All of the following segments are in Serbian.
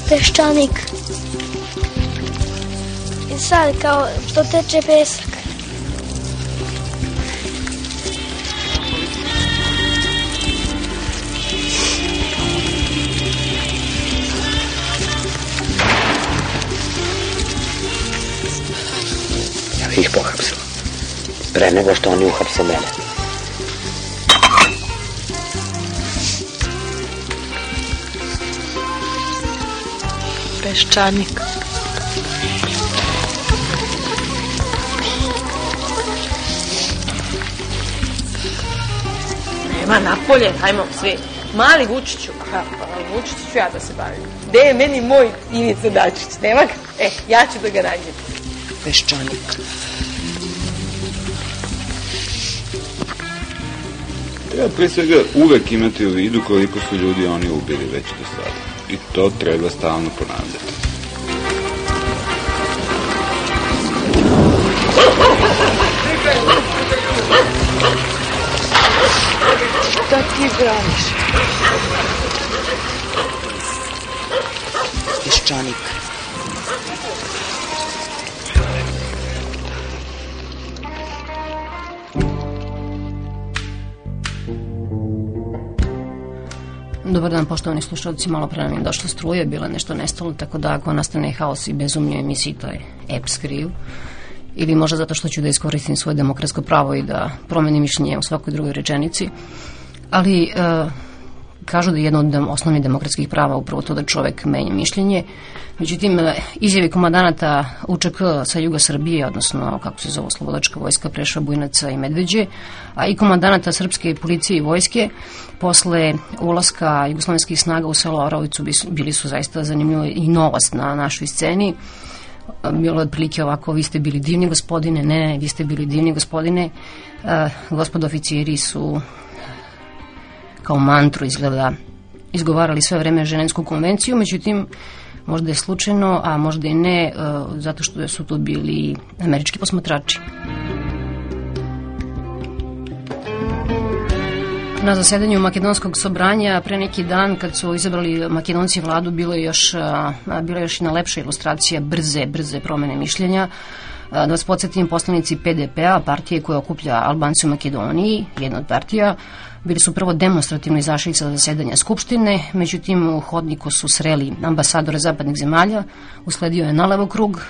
Peščanik. I sad kao što teče pesak. Ja bih ih pohapsila. Pre nego što oni uhapse mene. Peščanik. Nema napolje, hajmo svi. Mali Vučiću. Vučiću ću ja da se bavim. Gde je meni moj Ivica Dačić? Nema ga? Ja ću da ga nađem. Peščanik. Treba pre svega uvek imati u vidu koliko su ljudi oni ubili već do sada. I to treba stalno ponavljati. Šta ti braniš? Peščanik. Dobar dan, poštovani slušalci, malo pre nam je došla struje, bilo je nešto nestalo, tako da ako nastane haos i bezumlje u emisiji, to je EPS kriv. Ili možda zato što ću da iskoristim svoje demokratsko pravo i da promenim mišljenje u svakoj drugoj rečenici. Ali kažu da je jedno od osnovnih demokratskih prava upravo to da čovek menja mišljenje. Međutim, izjave komandanata UČK sa juga Srbije, odnosno kako se zove Slobodačka vojska Preševa, Bujnovca i Medveđe, a i komandanata srpske policije i vojske posle ulaska jugoslovenskih snaga u selo Oravicu bili su zaista zanimljivo i novost na našoj sceni. Bilo je otprilike ovako: vi ste bili divni gospodine, ne, vi ste bili divni gospodine. Gospodo oficiri su kao mantru izgleda izgovarali sve vreme Ženevsku konvenciju, međutim možda je slučajno, a možda i ne, zato što su tu bili američki posmatrači. Na zasedanju Makedonskog sobranja pre neki dan, kad su izabrali Makedonci vladu, bila je još jedna lepša ilustracija brze promene mišljenja. Da vas podsjetim, poslanici PDP-a, partije koja okuplja Albance u Makedoniji, jedna od partija, bili su prvo demonstrativno izašli sa zasedanja Skupštine, međutim u hodniku su sreli ambasadore zapadnih zemalja, usledio je nalevo krug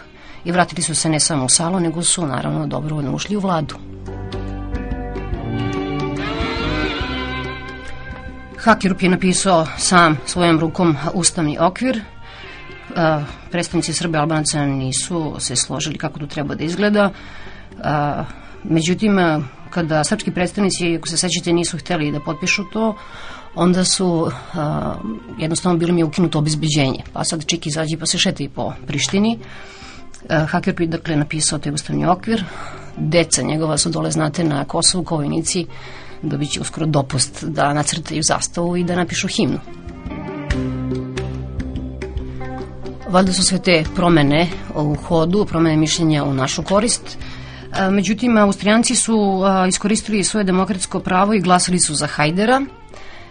i vratili su se ne samo u salu, nego su naravno dobrovoljno ušli u vladu. Hakerup je napisao sam svojom rukom ustavni okvir. Predstavnici Srbe i Albanaca nisu se složili kako to treba da izgleda. Međutim, kada srpski predstavnici, ako se sećate, nisu hteli da potpišu to, onda su jednostavno bilo mi je ukinuto obezbeđenje. Pa sad čik izađi pa se šeta i po Prištini. Hakerup je dakle napisao taj ustavni okvir. Deca njegova su dole, znate, na Kosovu kao vojnici, dobit će uskoro dopust da nacrtaju zastavu i da napišu himnu. Valjda su sve te promene u hodu, promene mišljenja u našu korist. Međutim, Austrijanci su iskoristili svoje demokratsko pravo i glasali su za Hajdera,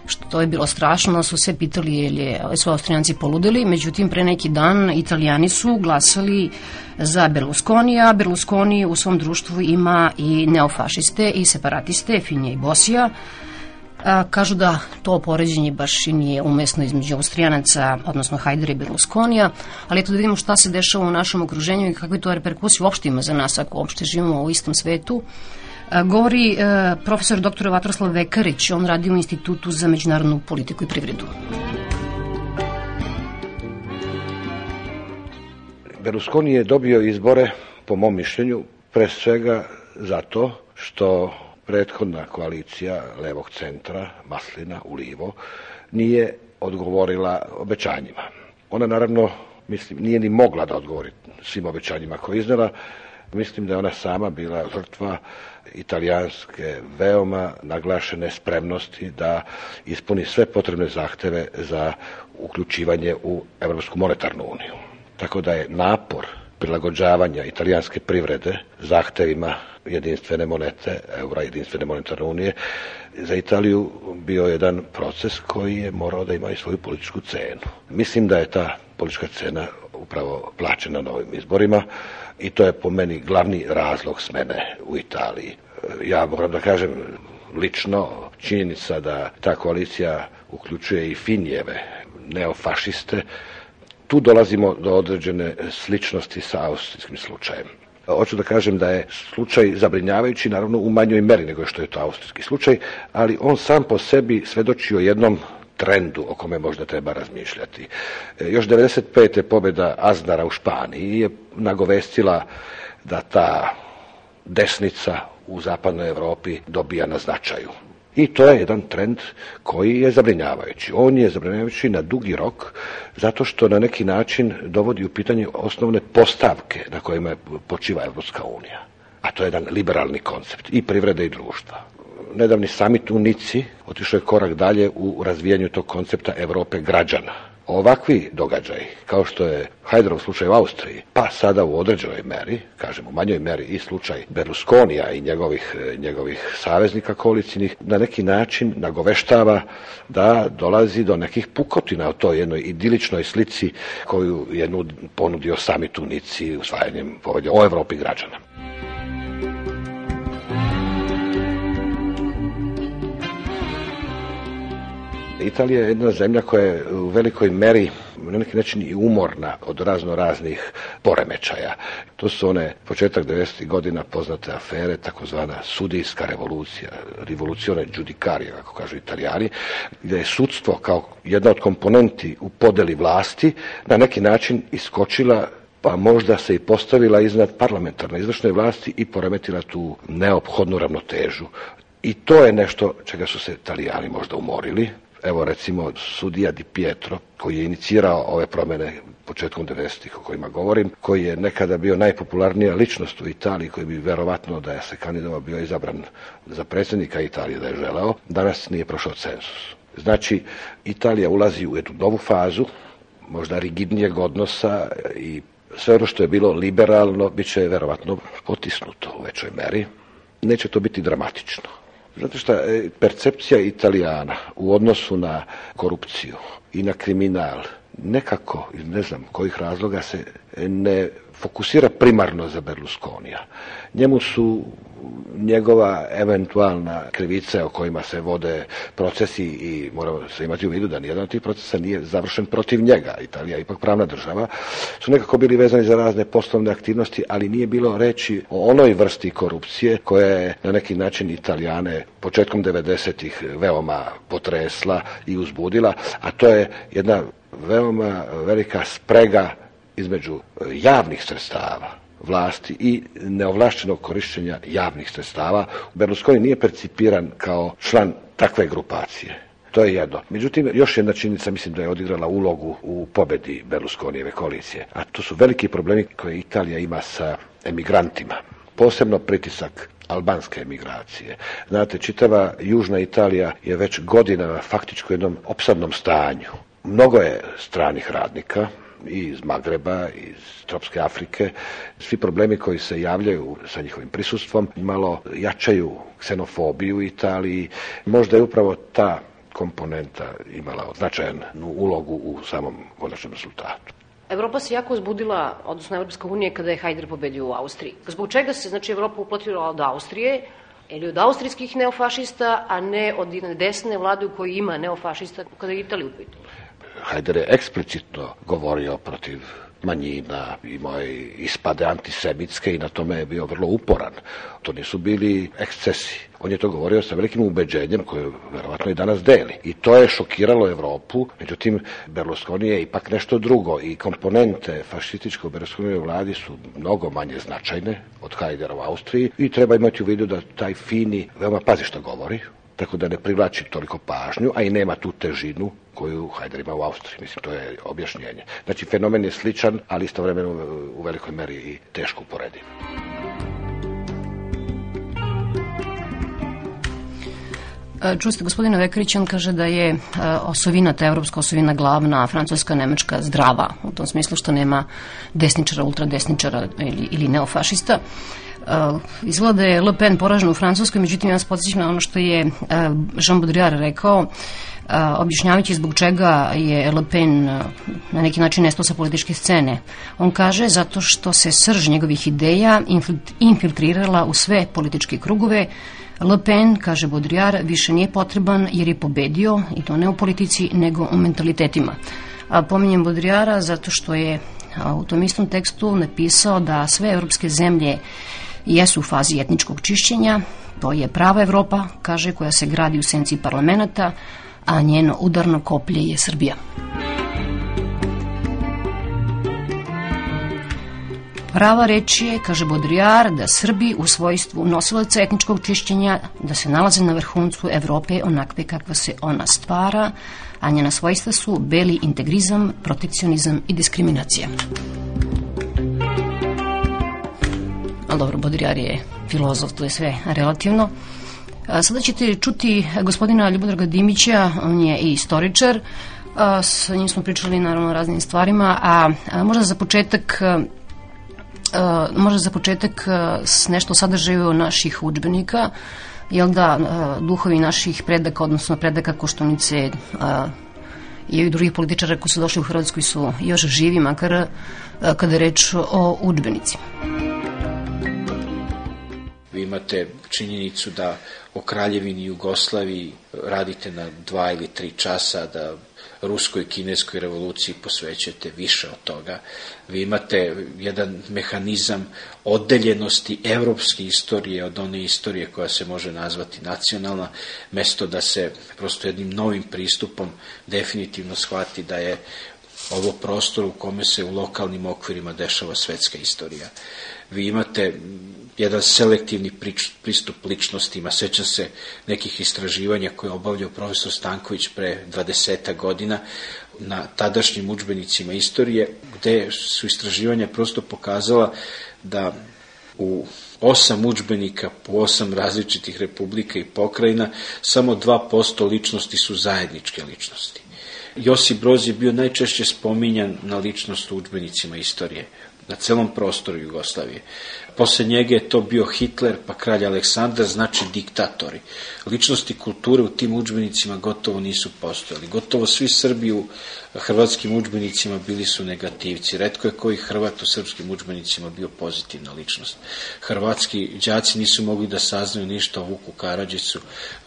što je bilo strašno, su se pitali je su Austrijanci poludeli. Međutim, pre neki dan Italijani su glasali za Berlusconija. Berlusconi u svom društvu ima i neofašiste i separatiste, Finija i Bosija. Kažu da to poređenje baš i nije umesno između Austrijanaca, odnosno Hajdera i Berlusconija, ali eto da vidimo šta se dešava u našem okruženju i kakve to reperkusije uopšte ima za nas ako uopšte živimo u istom svetu. Govori profesor dr. Vatroslav Vekarić, on radi u Institutu za međunarodnu politiku i privredu. Berlusconi je dobio izbore, po mom mišljenju, pre svega zato što prethodna koalicija levog centra, Maslina, Ulivo, nije odgovorila obećanjima. Ona naravno, mislim, nije ni mogla da odgovori svim obećanjima koje je iznela. Mislim da je ona sama bila žrtva italijanske veoma naglašene spremnosti da ispuni sve potrebne zahteve za uključivanje u Evropsku monetarnu uniju. Tako da je napor prilagođavanja italijanske privrede zahtevima jedinstvene monete, eura, jedinstvene monetarne unije, za Italiju bio jedan proces koji je morao da ima i svoju političku cenu. Mislim da je ta politička scena upravo plaćena na ovim izborima i to je po meni glavni razlog smene u Italiji. Ja moram da kažem lično, činjenica da ta koalicija uključuje i Finijeve neofašiste, tu dolazimo do određene sličnosti sa austrijskim slučajem. Hoću da kažem da je slučaj zabrinjavajući, naravno u manjoj meri nego što je to austrijski slučaj, ali on sam po sebi svedoči o jednom trendu o kome možda treba razmišljati. Još 95. pobjeda Aznara u Španiji je nagovestila da ta desnica u zapadnoj Europi dobija na značaju. I to je jedan trend koji je zabrinjavajući. On je zabrinjavajući na dugi rok zato što na neki način dovodi u pitanje osnovne postavke na kojima počiva Evropska unija. A to je jedan liberalni koncept i privrede i društva. Nedavni samit u Nici otišao je korak dalje u razvijanju tog koncepta Europe građana. Ovakvi događaji, kao što je Hajderov slučaj u Austriji, pa sada u određenoj meri, kažem u manjoj meri i slučaj Berlusconija i njegovih saveznika koalicijnih, na neki način nagoveštava da dolazi do nekih pukotina o toj jednoj idiličnoj slici koju je ponudio samit u Nici usvajanjem povelje o Europi građana. Italija je jedna zemlja koja je u velikoj meri na neki način i umorna od raznih poremećaja. To su one početak 90. godina poznate afere, takozvana sudijska revolucija, rivoluzione giudicaria, kako kažu Italijani, gdje je sudstvo kao jedna od komponenti u podeli vlasti na neki način iskočila, pa možda se i postavila iznad parlamentarne izvršne vlasti i poremetila tu neophodnu ravnotežu. I to je nešto čega su se Italijani možda umorili. Evo recimo sudija Di Pietro koji je inicirao ove promjene početkom 90-ih o kojima govorim, koji je nekada bio najpopularnija ličnost u Italiji, koji bi verovatno da je se kandidovao bio izabran za predsjednika Italije da je želeo, danas nije prošao cenzus. Znači Italija ulazi u jednu novu fazu, možda rigidnijeg odnosa i sve ono što je bilo liberalno bit će verovatno potisnuto u većoj meri. Neće to biti dramatično. Zato što percepcija Italijana u odnosu na korupciju i na kriminal nekako, ne znam kojih razloga, se ne fokusira primarno za Berlusconija. Njemu su njegova eventualna krivice o kojima se vode procesi i moramo se imati u vidu da nijedan od tih procesa nije završen protiv njega. Italija je ipak pravna država, su nekako bili vezani za razne poslovne aktivnosti, ali nije bilo reći o onoj vrsti korupcije koja je na neki način Italijane početkom 90-ih veoma potresla i uzbudila, a to je jedna veoma velika sprega između javnih sredstava vlasti i neovlašćenog korištenja javnih sredstava. Berlusconi nije percipiran kao član takve grupacije. To je jedno. Međutim, još jedna činjenica mislim da je odigrala ulogu u pobedi Berlusconijeve koalicije, a to su veliki problemi koje Italija ima sa emigrantima. Posebno pritisak albanske emigracije. Znate, čitava južna Italija je već godinama faktički u jednom opsadnom stanju. Mnogo je stranih radnika, i iz Magreba, iz tropske Afrike. Svi problemi koji se javljaju sa njihovim prisustvom malo jačaju ksenofobiju u Italiji. Možda je upravo ta komponenta imala značajnu ulogu u samom konačnom rezultatu. Evropa se jako uzbudila, odnosno Evropska unija, kada je Hajder pobedio u Austriji. Zbog čega se, znači, Evropa uplatila od Austrije ili od austrijskih neofašista, a ne od desne vlade u kojoj ima neofašista kada je Italija u pitanju? Hajder je eksplicitno govorio protiv manjina, imao je ispade antisemitske i na tome je bio vrlo uporan. To nisu bili ekscesi. On je to govorio sa velikim ubeđenjem koje verovatno i danas deli. I to je šokiralo Evropu, međutim Berlusconi je ipak nešto drugo i komponente fašističke u Berlusconijevoj vladi su mnogo manje značajne od Hajdera u Austriji i treba imati u vidu da taj Fini veoma pazi što govori, tako da ne privlači toliko pažnju, a i nema tu težinu koju Hajder ima u Austriji. Mislim, to je objašnjenje. Znači, fenomen je sličan, ali istovremeno u velikoj meri i teško uporediv. Čuste, gospodine Vekarić, on kaže da je osovina, ta evropska osovina glavna, a francuska, nemačka zdrava, u tom smislu što nema desničara, ultradesničara ili neofašista. Izgleda je Le Pen poražen u Francuskoj, međutim ja vas podsjećam na ono što je Jean Baudrillard rekao, objašnjavajući zbog čega je Le Pen na neki način nestao sa političke scene. On kaže zato što se srž njegovih ideja infiltrirala u sve političke krugove. Le Pen, kaže Baudrillard, više nije potreban jer je pobedio, i to ne u politici nego u mentalitetima. Pominjem Baudrillarda zato što je u tom istom tekstu napisao da sve evropske zemlje jesu u fazi etničkog čišćenja. To je prava Evropa, kaže, koja se gradi u senci parlamenta, a njeno udarno koplje je Srbija. Prava reč je, kaže Baudrillard, da Srbi u svojstvu nosilaca etničkog čišćenja da se nalaze na vrhuncu Evrope onakve kakva se ona stvara, a njena svojstva su beli integrizam, protekcionizam i diskriminacija. Ali dobro, Baudrillard je filozof, to je sve relativno. Sada ćete čuti gospodina Ljubodraga Dimića, on je i istoričar, sa njim smo pričali naravno o raznim stvarima, a možda za početak nešto o sadržaju naših udžbenika, jel da, duhovi naših predaka, odnosno predaka Koštunice i drugih političara koji su došli u Hrvatskoj su još živi, makar kada je reč o udžbenicima. Vi imate činjenicu da o Kraljevini Jugoslaviji radite na 2 ili 3 časa, da ruskoj i kineskoj revoluciji posvećujete više od toga. Vi imate jedan mehanizam oddeljenosti evropske istorije od one istorije koja se može nazvati nacionalna, mesto da se prosto jednim novim pristupom definitivno shvati da je ovo prostor u kome se u lokalnim okvirima dešava svetska istorija. Vi imate jedan selektivni pristup ličnostima. Sećam se nekih istraživanja koje je obavljao profesor Stanković pre 20 godina na tadašnjim udžbenicima istorije, gde su istraživanja prosto pokazala da u 8 udžbenika po 8 različitih republika i pokrajina samo 2% ličnosti su zajedničke ličnosti. Josip Broz je bio najčešće spominjan na ličnost u udžbenicima istorije na celom prostoru Jugoslavije. Posle njega je to bio Hitler, pa kralj Aleksandar, znači diktatori. Ličnosti kulture u tim udžbenicima gotovo nisu postojali. Gotovo svi Srbi u hrvatskim udžbenicima bili su negativci. Retko je koji Hrvat u srpskim udžbenicima bio pozitivna ličnost. Hrvatski đaci nisu mogli da saznaju ništa o Vuku Karadžiću.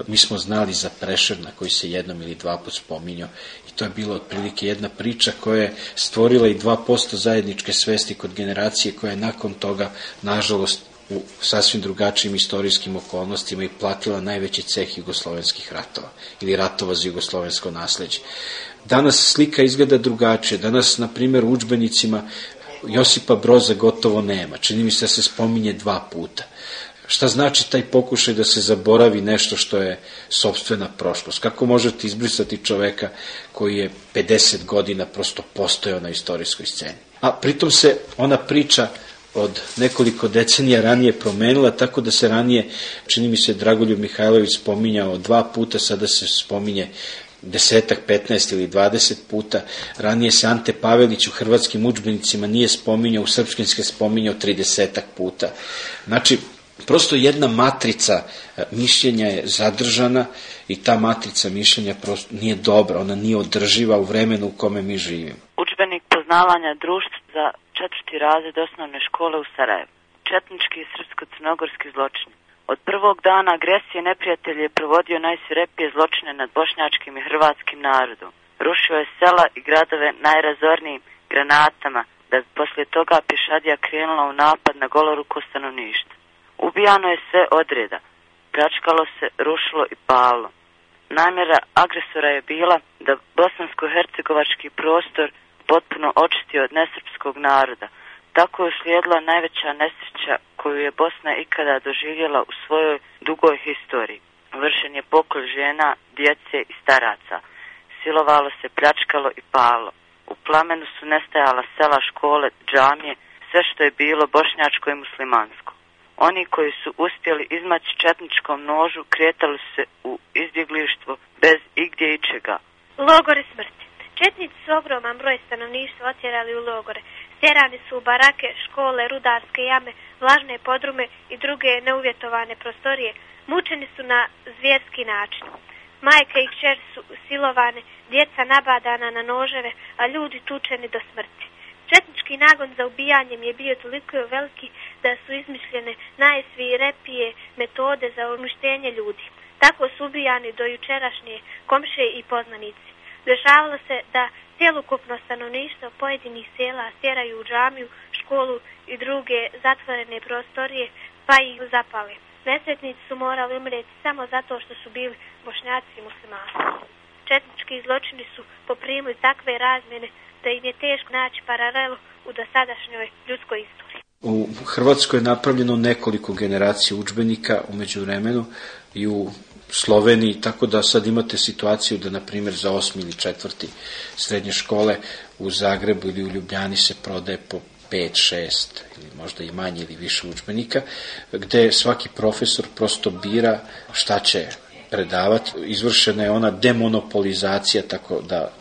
Mi smo znali za Prešerna koji se 1 ili 2 put spominjao. I to je bila otprilike jedna priča koja je stvorila i 2% zajedničke svesti kod generacije koja je nakon toga, nažalost, u sasvim drugačijim istorijskim okolnostima i platila najveći ceh jugoslovenskih ratova ili ratova za jugoslovensko nasleđe. Danas slika izgleda drugačije. Danas, na primjer, u udžbenicima Josipa Broza gotovo nema. Čini mi se da se spominje 2 puta. Šta znači taj pokušaj da se zaboravi nešto što je sopstvena prošlost? Kako možete izbrisati čoveka koji je 50 godina prosto postojao na istorijskoj sceni? A pritom se ona priča od nekoliko decenija ranije promenila, tako da se ranije, čini mi se, Dragoljub Mihajlović spominjao 2 puta, sada se spominje 10, 15 ili 20 puta. Ranije se Ante Pavelić u hrvatskim udžbenicima nije spominjao, u srpskim se spominjao 30 puta. Znači, prosto jedna matrica mišljenja je zadržana i ta matrica mišljenja prosto nije dobra, ona nije održiva u vremenu u kome mi živimo. Udžbenik poznavanja društva za 4. razred osnovne škole u Sarajevu. Četnički i srpsko-crnogorski zločini. Od prvog dana agresije neprijatelj je provodio najsvirepije zločine nad bošnjačkim i hrvatskim narodom. Rušio je sela i gradove najrazornijim granatama, da bi poslije toga pješadija krenula u napad na goloruko stanovništvo. Ubijano je sve odreda, pljačkalo se, rušilo i palilo. Namjera agresora je bila da bosansko-hercegovački prostor potpuno očisti od nesrpskog naroda. Tako je uslijedila najveća nesreća koju je Bosna ikada doživjela u svojoj dugoj historiji. Vršen je pokolj žena, djece i staraca. Silovalo se, pljačkalo i palilo. U plamenu su nestajala sela, škole, džamije, sve što je bilo bošnjačko i muslimansko. Oni koji su uspjeli izmaći četničkom nožu kretali se u izbjeglištvo bez igdje ičega. Logore smrti. Četnici su ogroman broj stanovništva otjerali u logore. Tjerani su u barake, škole, rudarske jame, vlažne podrume i druge neuvjetovane prostorije. Mučeni su na zvjerski način. Majke i kćeri su silovane, djeca nabadana na noževe, a ljudi tučeni do smrti. Četnički nagon za ubijanjem je bio toliko veliki da su izmišljene najsvirepije metode za uništenje ljudi. Tako su ubijani do jučerašnje komšije i poznanici. Dešavalo se da cjelokupno stanovništvo pojedinih sela stjeraju u džamiju, školu i druge zatvorene prostorije, pa ih zapale. Nesretnici su morali umreti samo zato što su bili Bošnjaci i muslimani. Četnički zločini su poprimili takve razmjene da im je teško naći paralelu u dosadašnjoj ljudskoj istoriji. U Hrvatskoj je napravljeno nekoliko generacija udžbenika u međuvremenu i u Sloveniji, tako da sad imate situaciju da, na primjer, za 8. ili 4. srednje škole u Zagrebu ili u Ljubljani se prodaje po 5, 6 ili možda i manje ili više udžbenika, gde svaki profesor prosto bira šta će predavati. Izvršena je ona demonopolizacija, tako da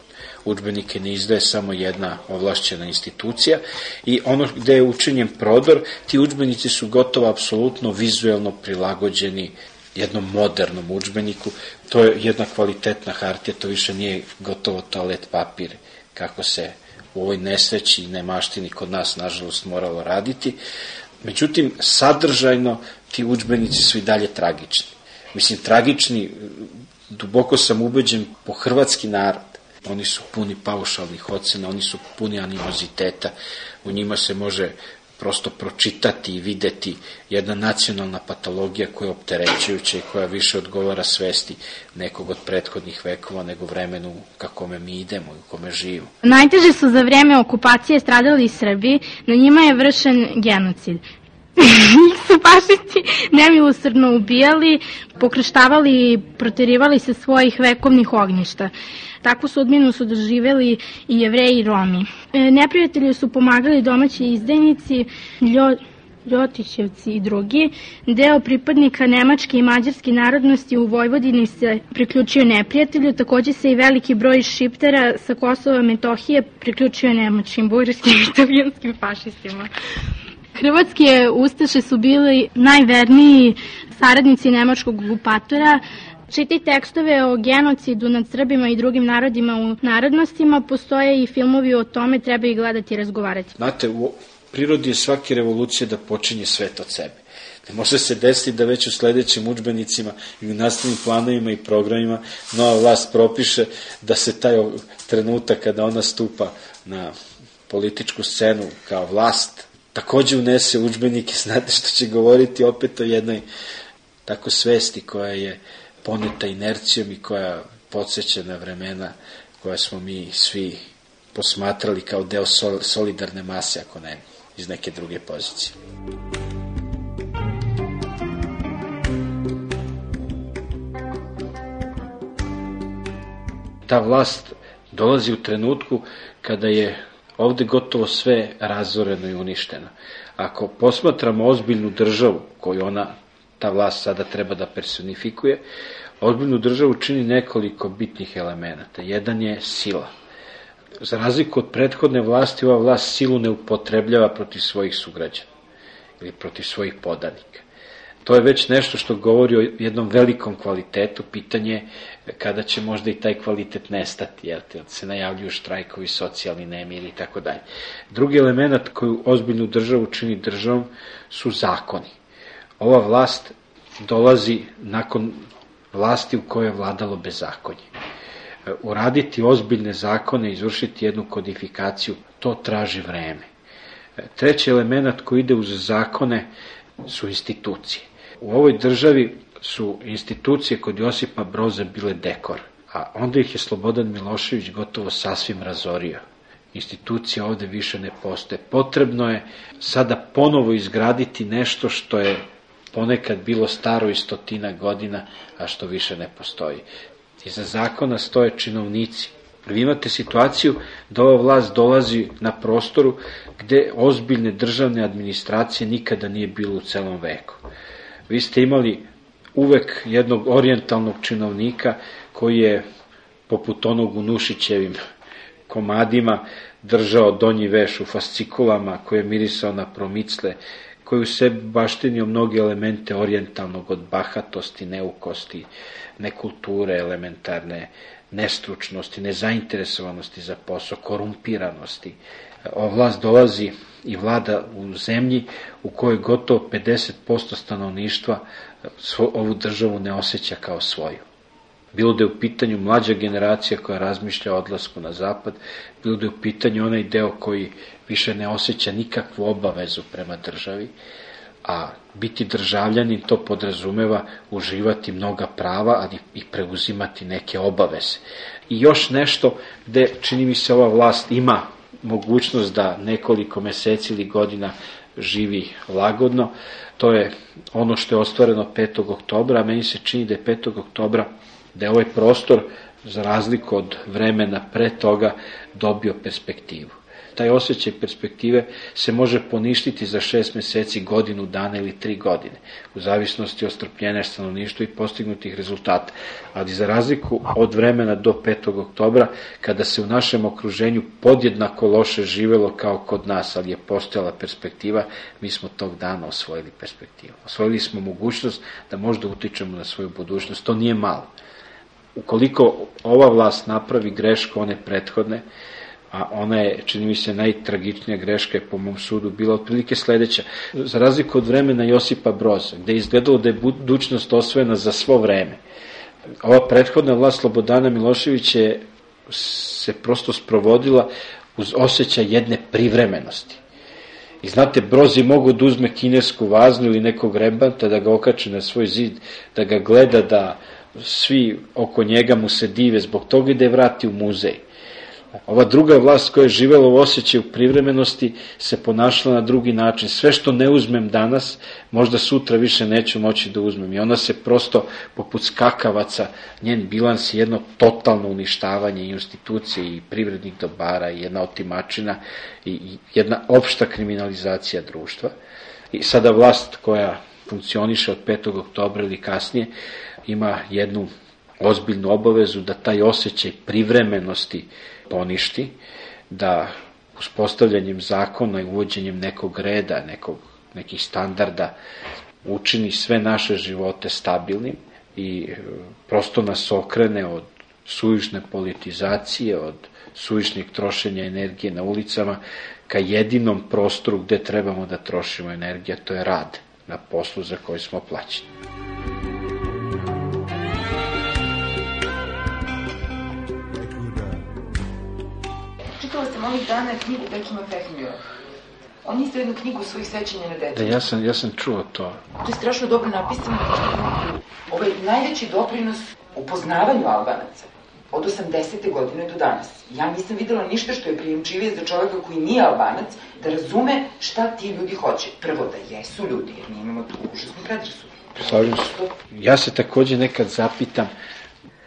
udžbenike ne izdaje samo jedna ovlašćena institucija i ono gde je učinjen prodor, ti udžbenici su gotovo apsolutno vizuelno prilagođeni jednom modernom udžbeniku. To je jedna kvalitetna hartija, to više nije gotovo toalet papir, kako se u ovoj nesreći i nemaštini kod nas, nažalost, moralo raditi. Međutim, sadržajno ti udžbenici su i dalje tragični. Mislim, tragični, duboko sam ubeđen, po hrvatski narod. Oni su puni paušalnih ocena, oni su puni animoziteta, u njima se može prosto pročitati i videti jedna nacionalna patologija koja je opterećujuća i koja više odgovara svesti nekog od prethodnih vekova nego vremenu kakome mi idemo i u kome živimo. Najteže su za vrijeme okupacije stradali Srbi, na njima je vršen genocid. Njih su fašisti nemilosrdno ubijali, pokrštavali i proterivali se svojih vekovnih ognjišta. Takvu sudbinu su doživjeli i Jevreji i Romi. Neprijatelju su pomagali domaći izdajnici, Ljotićevci i drugi. Deo pripadnika nemačke i mađarske narodnosti u Vojvodini se priključio neprijatelju, također se i veliki broj šiptera sa Kosova i Metohije priključio nemačkim, bugarskim i italijanskim fašistima. Hrvatske ustaše su bili najverniji saradnici nemačkog okupatora. Čiti tekstove o genocidu nad Srbima i drugim narodima u narodnostima, postoje i filmovi o tome, treba ih gledati i razgovarati. Znate, u prirodi je svake revolucije da počinje svet od sebe. Ne može se desiti da već u sledećim udžbenicima i u nastavnim planovima i programima nova vlast propiše da se taj trenutak kada ona stupa na političku scenu kao vlast takođe unese udžbenike, znate što će govoriti opet o jednoj tako svesti koja je poneta inercijom i koja podsjeća na vremena koja smo mi svi posmatrali kao deo solidarne mase, ako ne iz neke druge pozicije. Ta vlast dolazi u trenutku kada je ovde gotovo sve razoreno i uništeno. Ako posmatramo ozbiljnu državu koju ta vlast sada treba da personifikuje, ozbiljnu državu čini nekoliko bitnih elemenata. Jedan je sila. Za razliku od prethodne vlasti, ova vlast silu ne upotrebljava protiv svojih sugrađana ili protiv svojih podanika. To je već nešto što govori o jednom velikom kvalitetu, pitanje kada će možda i taj kvalitet nestati, jer se najavljuju štrajkovi, socijalni nemiri i tako dalje. Drugi element koju ozbiljnu državu čini državom su zakoni. Ova vlast dolazi nakon vlasti u kojoj je vladalo bezakonje. Uraditi ozbiljne zakone, izvršiti jednu kodifikaciju, to traži vreme. Treći element koji ide uz zakone su institucije. U ovoj državi su institucije kod Josipa Broza bile dekor, a onda ih je Slobodan Milošević gotovo sasvim razorio. Institucije ovde više ne postoje. Potrebno je sada ponovo izgraditi nešto što je ponekad bilo staro i 100 godina, a što više ne postoji. Iza zakona stoje činovnici. Vi imate situaciju da ova vlast dolazi na prostoru gde ozbiljne državne administracije nikada nije bilo u celom veku. Vi ste imali uvek jednog orijentalnog činovnika koji je poput onog u Nušićevim komadima držao donji veš u fascikulama, koji je mirisao na promicle, koji u sebi baštinio mnoge elemente orijentalnog, od bahatosti, neukosti, nekulture elementarne, nestručnosti, nezainteresovanosti za posao, korumpiranosti. Ova vlast dolazi i vlada u zemlji u kojoj gotovo 50% stanovništva ovu državu ne osjeća kao svoju. Bilo da je u pitanju mlađa generacija koja razmišlja o odlasku na zapad, bilo da je u pitanju onaj deo koji više ne osjeća nikakvu obavezu prema državi, a biti državljanin to podrazumeva uživati mnoga prava, ali i preuzimati neke obaveze. I još nešto gde, čini mi se, ova vlast ima mogućnost da nekoliko meseci ili godina živi lagodno, to je ono što je ostvareno 5. oktobra, a meni se čini da je 5. oktobra, da je ovaj prostor, za razliku od vremena pre toga, dobio perspektivu. Taj osjećaj perspektive se može poništiti za 6 meseci, godinu dana ili 3 godine, u zavisnosti od strpljenja stanovništva i postignutih rezultata. Ali za razliku od vremena do 5. oktobra, kada se u našem okruženju podjednako loše živelo kao kod nas, ali je postojala perspektiva, mi smo tog dana osvojili perspektivu. Osvojili smo mogućnost da možda utičemo na svoju budućnost. To nije malo. Ukoliko ova vlast napravi grešku one prethodne, a ona je, čini mi se, najtragičnija greška je po mom sudu bila otprilike sledeća. Za razliku od vremena Josipa Broza, gde je izgledalo da je budućnost osvojena za svo vreme, ova prethodna vlast Slobodana Miloševića se prosto sprovodila uz osjećaj jedne privremenosti. I znate, Broz je mogao da uzme kinesku vaznu ili nekog rebanta, da ga okače na svoj zid, da ga gleda, da svi oko njega mu se dive zbog toga i da je vrati u muzej. Ova druga vlast koja je živela u osjećaju privremenosti se ponašala na drugi način. Sve što ne uzmem danas, možda sutra više neću moći da uzmem. I ona se prosto, poput skakavaca, njen bilans je jedno totalno uništavanje institucije i privrednih dobara i jedna otimačina i jedna opšta kriminalizacija društva. I sada vlast koja funkcioniše od 5. oktobra ili kasnije ima jednu ozbiljnu obavezu da taj osjećaj privremenosti poništi, da uspostavljanjem zakona i uvođenjem nekog reda, nekih standarda učini sve naše živote stabilnim i prosto nas okrene od suvišne politizacije, od suvišnih trošenja energije na ulicama, ka jedinom prostoru gde trebamo da trošimo energiju, to je rad na poslu za koji smo plaćeni. Čitala sam ovih dana knjigu Bekima Fehmija. On isto jednu knjigu svojih sećanja na decu. Da, ja sam čuo to. To je strašno dobro napisano. Najveći doprinos upoznavanju Albanaca od 80. godine do danas. Ja nisam videla ništa što je prijemčivije za čoveka koji nije Albanac, da razume šta ti ljudi hoće. Prvo, da jesu ljudi, jer mi imamo tu užasnu predrasudu. Slažem se. Ja se takođe nekad zapitam,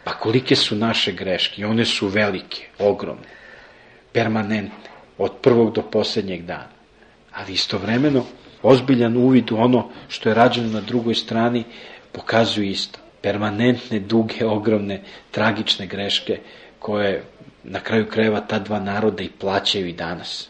pa kolike su naše greške? I one su velike, ogromne, permanentne, od prvog do poslednjeg dana. Ali istovremeno, ozbiljan uvid u ono što je rađeno na drugoj strani pokazuju isto. Permanentne, duge, ogromne, tragične greške koje na kraju krajeva ta dva naroda i plaćaju i danas.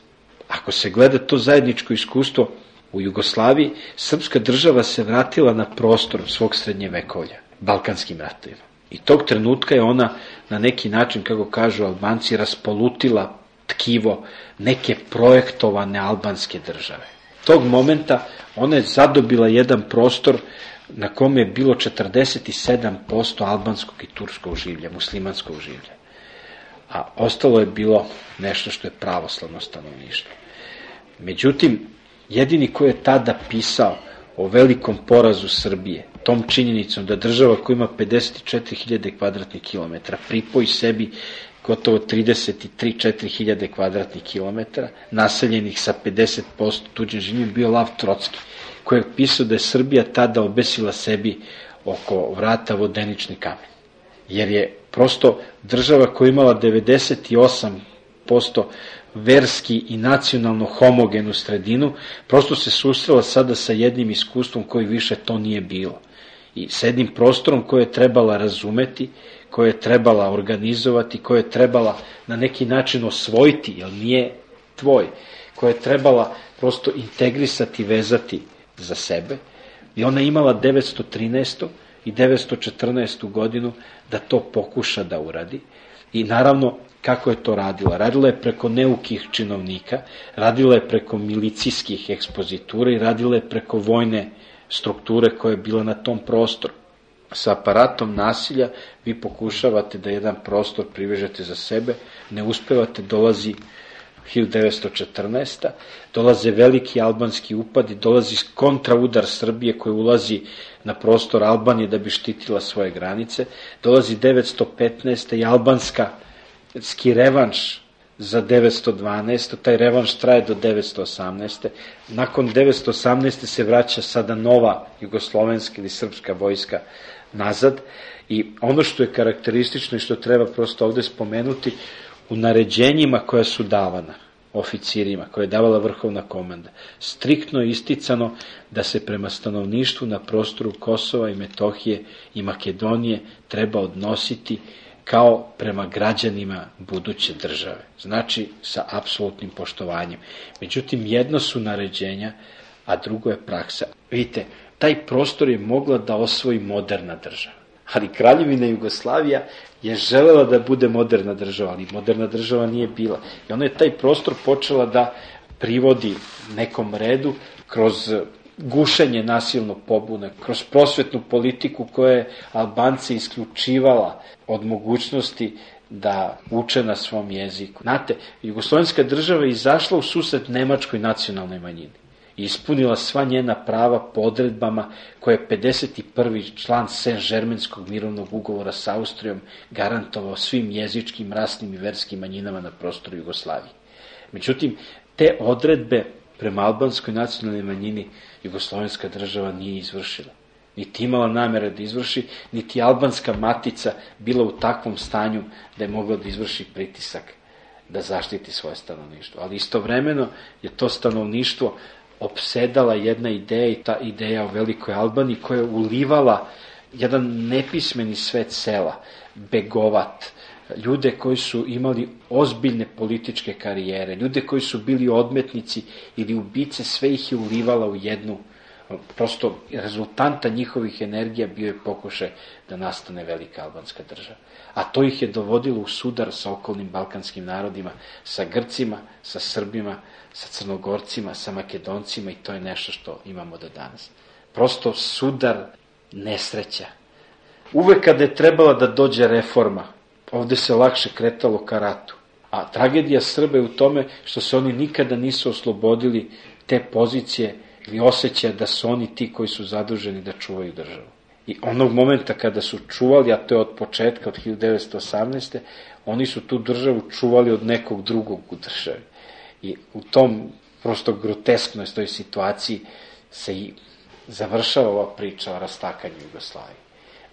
Ako se gleda to zajedničko iskustvo u Jugoslaviji, srpska država se vratila na prostor svog srednjevekovlja, Balkanskim ratovima. I tog trenutka je ona na neki način, kako kažu Albanci, raspolutila tkivo neke projektovane albanske države. Tog momenta ona je zadobila jedan prostor na kome je bilo 47% albanskog i turskog življa, muslimanskog življa. A ostalo je bilo nešto što je pravoslavno stanovništvo. Međutim, jedini ko je tada pisao o velikom porazu Srbije, tom činjenicom da država koja ima 54.000 kvadratnih kilometara pripoji sebi gotovo 33-4 hiljade kvadratnih kilometara, naseljenih sa 50% tuđim življem, bio Lav Trocki, koji je pisao da je Srbija tada obesila sebi oko vrata vodenični kamen. Jer je prosto država koja imala 98% verski i nacionalno homogenu sredinu, prosto se susrela sada sa jednim iskustvom koji više to nije bilo. I s jednim prostorom koje je trebala razumeti, koje je trebala organizovati, koje je trebala na neki način osvojiti, jer nije tvoj, koje je trebala prosto integrisati, vezati za sebe. I ona je imala 913. i 914. godinu da to pokuša da uradi. I naravno, kako je to radila? Radila je preko neukih činovnika, radila je preko milicijskih ekspozitura i radila je preko vojne strukture koja je bila na tom prostoru. Sa aparatom nasilja vi pokušavate da jedan prostor privežete za sebe, ne uspevate, dolazi 1914. Dolaze veliki albanski upadi, dolazi kontraudar Srbije koji ulazi na prostor Albanije da bi štitila svoje granice, dolazi 915. i albanski revanš za 912. Taj revanš traje do 918. Nakon 918. se vraća sada nova jugoslovenska ili srpska vojska nazad i ono što je karakteristično i što treba prosto ovde spomenuti, u naređenjima koja su davana oficirima, koje je davala vrhovna komanda, striktno je isticano da se prema stanovništvu na prostoru Kosova i Metohije i Makedonije treba odnositi kao prema građanima buduće države. Znači, sa apsolutnim poštovanjem. Međutim, jedno su naređenja, a drugo je praksa. Vidite, taj prostor je mogla da osvoji moderna država. Ali Kraljevina Jugoslavija je želela da bude moderna država, ali moderna država nije bila. I ona je taj prostor počela da privodi nekom redu kroz gušenje nasilnog pobune, kroz prosvetnu politiku koja je Albance isključivala od mogućnosti da uče na svom jeziku. Znate, jugoslovenska država je izašla u susret nemačkoj nacionalnoj manjini i ispunila sva njena prava po odredbama koje je 51. član Saint-Germainskog mirovnog ugovora sa Austrijom garantovao svim jezičkim, rasnim i verskim manjinama na prostoru Jugoslavije. Međutim, te odredbe prema albanskoj nacionalnoj manjini jugoslovenska država nije izvršila. Niti imala namere da izvrši, niti albanska matica bila u takvom stanju da je mogla da izvrši pritisak da zaštiti svoje stanovništvo. Ali istovremeno je to stanovništvo opsedala jedna ideja i ta ideja o Velikoj Albaniji koja je ulivala jedan nepismeni svet sela, begovat, ljude koji su imali ozbiljne političke karijere, ljude koji su bili odmetnici ili ubice, sve ih je ulivala u jednu, prosto rezultanta njihovih energija bio je pokušaj da nastane velika albanska država. A to ih je dovodilo u sudar sa okolnim balkanskim narodima, sa Grcima, sa Srbima, sa Crnogorcima, sa Makedoncima i to je nešto što imamo do danas. Prosto sudar nesreća. Uvek kada je trebala da dođe reforma, ovde se lakše kretalo ka ratu. A tragedija Srba je u tome što se oni nikada nisu oslobodili te pozicije ili osjećaja da su oni ti koji su zaduženi da čuvaju državu. I onog momenta kada su čuvali, a to je od početka, od 1918. oni su tu državu čuvali od nekog drugog u državi. I u tom prosto grotesknoj toj situaciji se i završava ova priča o rastakanju Jugoslavije.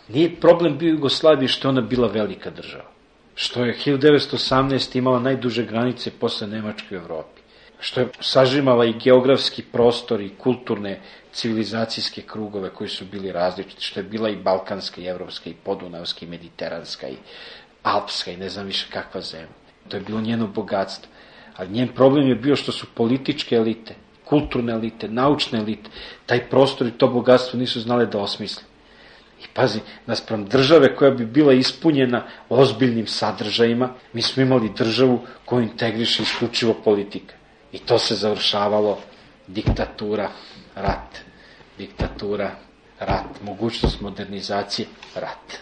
Nije problem bio Jugoslaviji što je ona bila velika država. Što je 1918. imala najduže granice posle Nemačke u Evropi. Što je sažimala i geografski prostor i kulturne civilizacijske krugove koji su bili različiti. Što je bila i balkanska, i evropska, i podunavska, i mediteranska, i alpska, i ne znam više kakva zemlja. To je bilo njeno bogatstvo. Ali njen problem je bio što su političke elite, kulturne elite, naučne elite, taj prostor i to bogatstvo nisu znale da osmisle. I pazi, naspram države koja bi bila ispunjena ozbiljnim sadržajima, mi smo imali državu koju integriše isključivo politika. I to se završavalo diktatura, rat. Diktatura, rat. Mogućnost modernizacije, rat.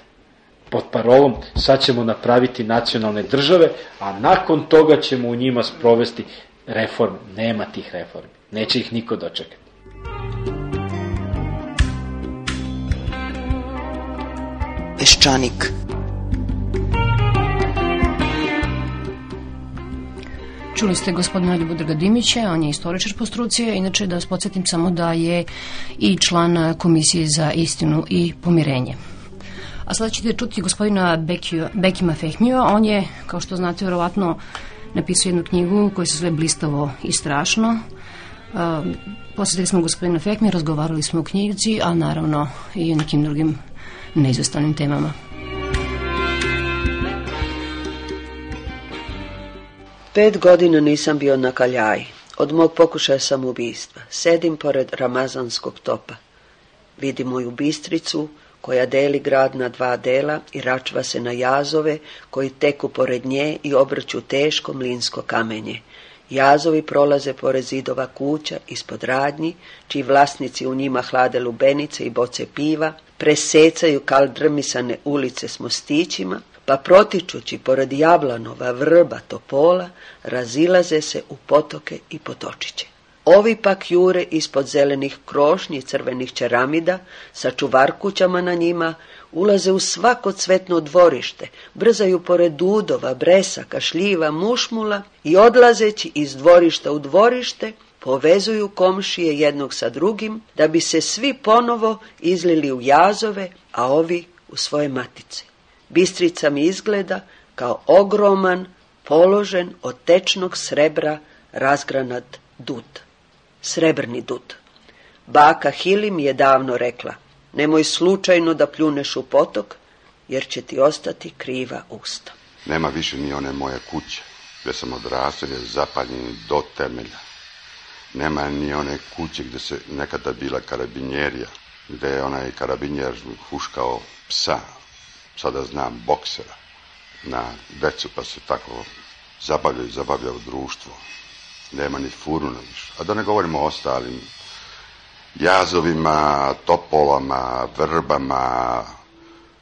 Pod parolom sad ćemo napraviti nacionalne države, a nakon toga ćemo u njima sprovesti reforme. Nema tih reformi. Neće ih niko dočekati. Peščanik. Čuli ste gospodina Ljubodraga Dimića, on je istoričar po struci, inače da vas podsjetim samo da je i član Komisije za istinu i pomirenje. A sada ćete čuti gospodina Bekima Fehmija, on je, kao što znate, verovatno napisao jednu knjigu koja se zove Blistavo i strašno. Posjetili smo gospodina Fehmija, razgovarali smo o knjizi, a naravno i o nekim drugim neizvestavnim temama. 5 godina nisam bio na kaljaji. Od mog pokušaja samoubistva. Sedim pored ramazanskog topa. Vidim moju Bistricu koja deli grad na 2 dela i račva se na jazove koji teku pored nje i obrću teško mlinsko kamenje. Jazovi prolaze pored zidova kuća ispod radnji, čiji vlasnici u njima hlade lubenice i boce piva, presecaju kaldrmisane ulice s mostićima, pa protičući pored jablanova, vrba, topola, razilaze se u potoke i potočiće. Ovi pak jure ispod zelenih krošnji i crvenih čeramida, sa čuvarkućama na njima, ulaze u svako cvetno dvorište, brzaju pored dudova, bresaka, šljiva, mušmula i odlazeći iz dvorišta u dvorište, povezuju komšije jednog sa drugim, da bi se svi ponovo izlili u jazove, a ovi u svoje matice. Bistrica mi izgleda kao ogroman, položen od tečnog srebra razgranat dud. Srebrni dud. Baka Hili mi je davno rekla, nemoj slučajno da pljuneš u potok, jer će ti ostati kriva usta. Nema više ni one moje kuće, gdje sam odrastao, je zapaljen do temelja. Nema ni one kuće gdje se nekada bila karabinjerija, gdje je onaj karabinjer huškao psa, sada znam boksera, na decu, pa se tako zabavljaju društvo. Nema ni furuna više. A da ne govorimo o ostalim jazovima, topolama, vrbama.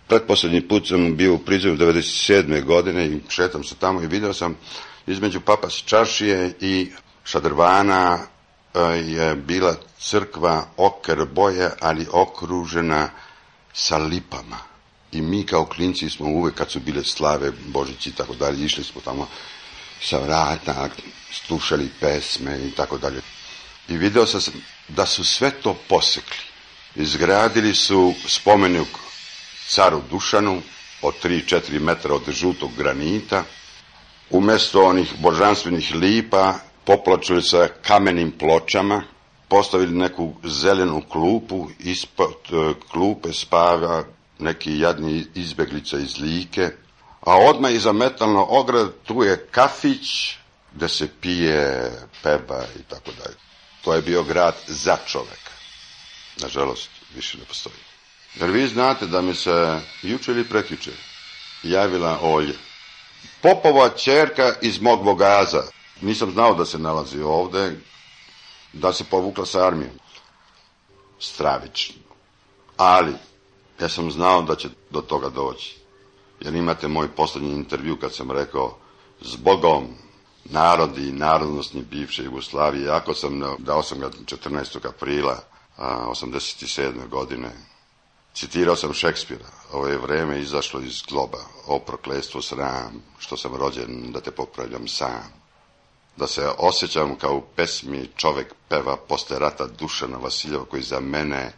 Pretposljednji put sam bio u Prizreju 97. godine i šetam se tamo i vidio sam između Papas čaršije i Šadrvana je bila crkva oker boje, ali okružena sa lipama. I mi kao klinci smo uvek, kad su bile slave, Božići i tako dalje, išli smo tamo sa vrata, slušali pesme i tako dalje. I vidio sam da su sve to posekli. Izgradili su spomenik caru Dušanu od 3-4 metra od žutog granita. Umjesto onih božanstvenih lipa poplačili sa kamenim pločama, postavili neku zelenu klupu, ispod klupe spava neki jadni izbeglica iz Like, a odmah iza metalno ograd tu je kafić gde se pije, peva i tako dalje. To je bio grad za čoveka. Nažalost, više ne postoji. Jer vi znate da mi se juče ili prekjuče javila Olja, Popova ćerka iz mog Vogaza. Nisam znao da se nalazi ovde, da se povukla sa armijom. Stravično. Ali, ja sam znao da će do toga doći. Jer imate moj poslednji intervju kad sam rekao, zbogom narodi i narodnostni bivše Jugoslavije, jako sam, dao sam ga 14. aprila 87. godine, citirao sam Šekspira, ovo je vreme izašlo iz globa, o prokletstvo sram, što sam rođen da te popravljam sam, da se osjećam kao u pesmi čovek peva posle rata Dušana Vasiljeva, koji za mene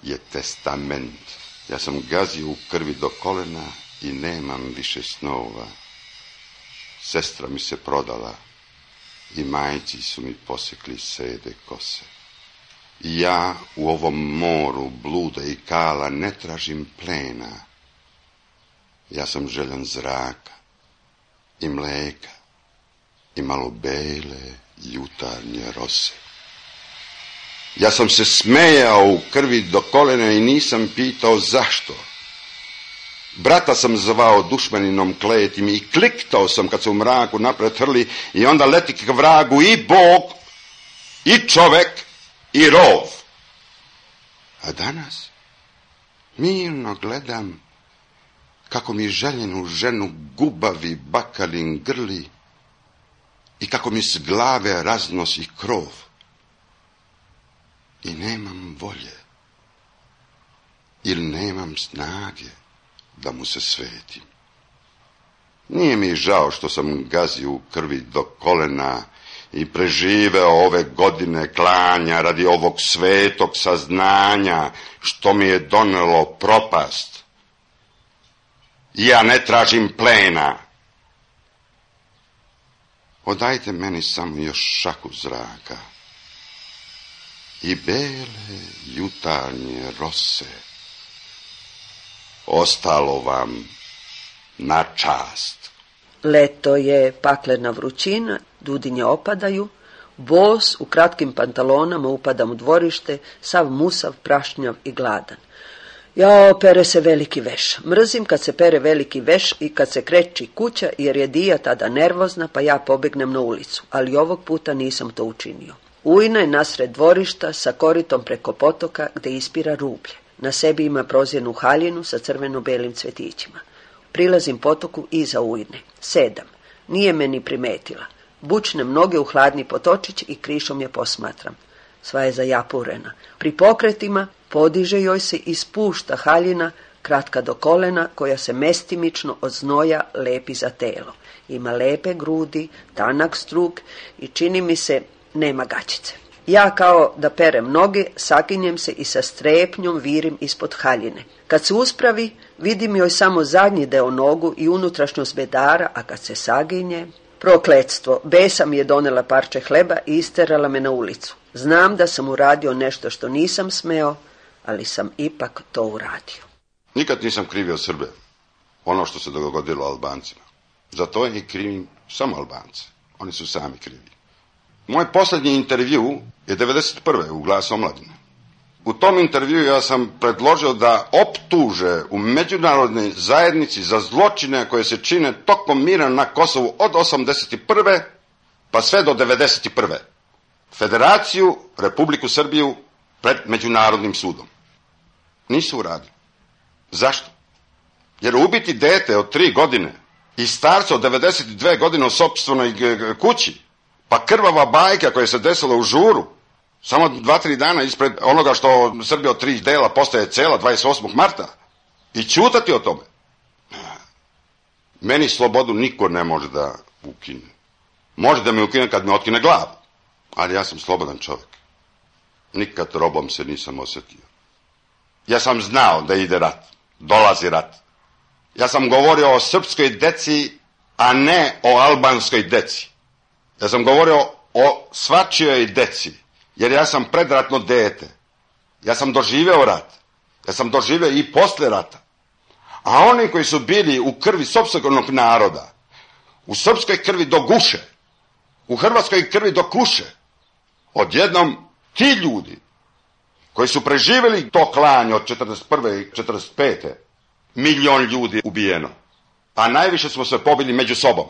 je testament. Ja sam gazio u krvi do kolena i nemam više snova. Sestra mi se prodala i majci su mi posekli sede kose. I ja u ovom moru bluda i kala ne tražim plena. Ja sam željan zraka i mleka i malo bele jutarnje rose. Ja sam se smejao u krvi do kolena i nisam pitao zašto. Brata sam zvao dušmaninom kletim i kliktao sam kad se u mraku napred hrli i onda leti k vragu i Bog, i čovek, i rov. A danas mirno gledam kako mi željenu ženu gubavi bakalin grli i kako mi s glave raznosi krov. I nemam volje ili nemam snage da mu se svetim. Nije mi žao što sam gazio u krvi do kolena i preživeo ove godine klanja radi ovog svetog saznanja što mi je donelo propast. Ja ne tražim plena. Odajte meni samo još šaku zraka i bele jutarnje rose. Ostalo vam na čast. Leto je, paklena vrućina, dudinje opadaju, bos u kratkim pantalonama upadam u dvorište, sav musav, prašnjav i gladan. Jao, pere se veliki veš. Mrzim kad se pere veliki veš i kad se kreći kuća, jer je Dija tada nervozna, pa ja pobegnem na ulicu, ali ovog puta nisam to učinio. Ujna je nasred dvorišta sa koritom preko potoka gde ispira rublje. Na sebi ima prozirnu haljinu sa crveno-belim cvetićima. Prilazim potoku iza Ujne. Sedam. Nije me ni primetila. Bučnem noge u hladni potočić i krišom je posmatram. Sva je zajapurena. Pri pokretima podiže joj se i spušta haljina, kratka do kolena, koja se mestimično od znoja lepi za telo. Ima lepe grudi, tanak struk i čini mi se nema gaćice. Ja kao da perem noge, saginjem se i sa strepnjom virim ispod haljine. Kad se uspravi, vidim joj samo zadnji deo nogu i unutrašnjost bedara, a kad se saginje... Prokletstvo, besa mi je donela parče hleba i isterala me na ulicu. Znam da sam uradio nešto što nisam smeo, ali sam ipak to uradio. Nikad nisam krivio Srbe, ono što se dogodilo Albancima. Za to i krivim samo Albance. Oni su sami krivi. Moj posljednji intervju je 1991. u Glasu omladine. U tom intervju ja sam predložio da optuže u međunarodnoj zajednici za zločine koje se čine tokom mira na Kosovu od 1981. pa sve do 1991. Federaciju, Republiku Srbiju pred Međunarodnim sudom. Nisu uradili. Zašto? Jer ubiti dete od 3 godine i starca od 92 godine u sopstvenoj kući, pa krvava bajka koja se desila u Žuru, samo 2-3 dana ispred onoga što Srbija od 3 dela postaje cela 28. marta i ćutati o tome. Meni slobodu niko ne može da ukine. Može da me ukine kad me otkine glavu, ali ja sam slobodan čovjek. Nikad robom se nisam osjetio. Ja sam znao da ide rat, dolazi rat. Ja sam govorio o srpskoj deci, a ne o albanskoj deci. Ja sam govorio o svačijoj deci. Jer ja sam predratno dete. Ja sam doživeo rat. Ja sam doživeo i posle rata. A oni koji su bili u krvi sopstvenog naroda, u srpskoj krvi do guše, u hrvatskoj krvi do kuše, odjednom ti ljudi koji su preživjeli to klanje od 41. i 45. 1 milion ljudi ubijeno. A najviše smo se pobili među sobom.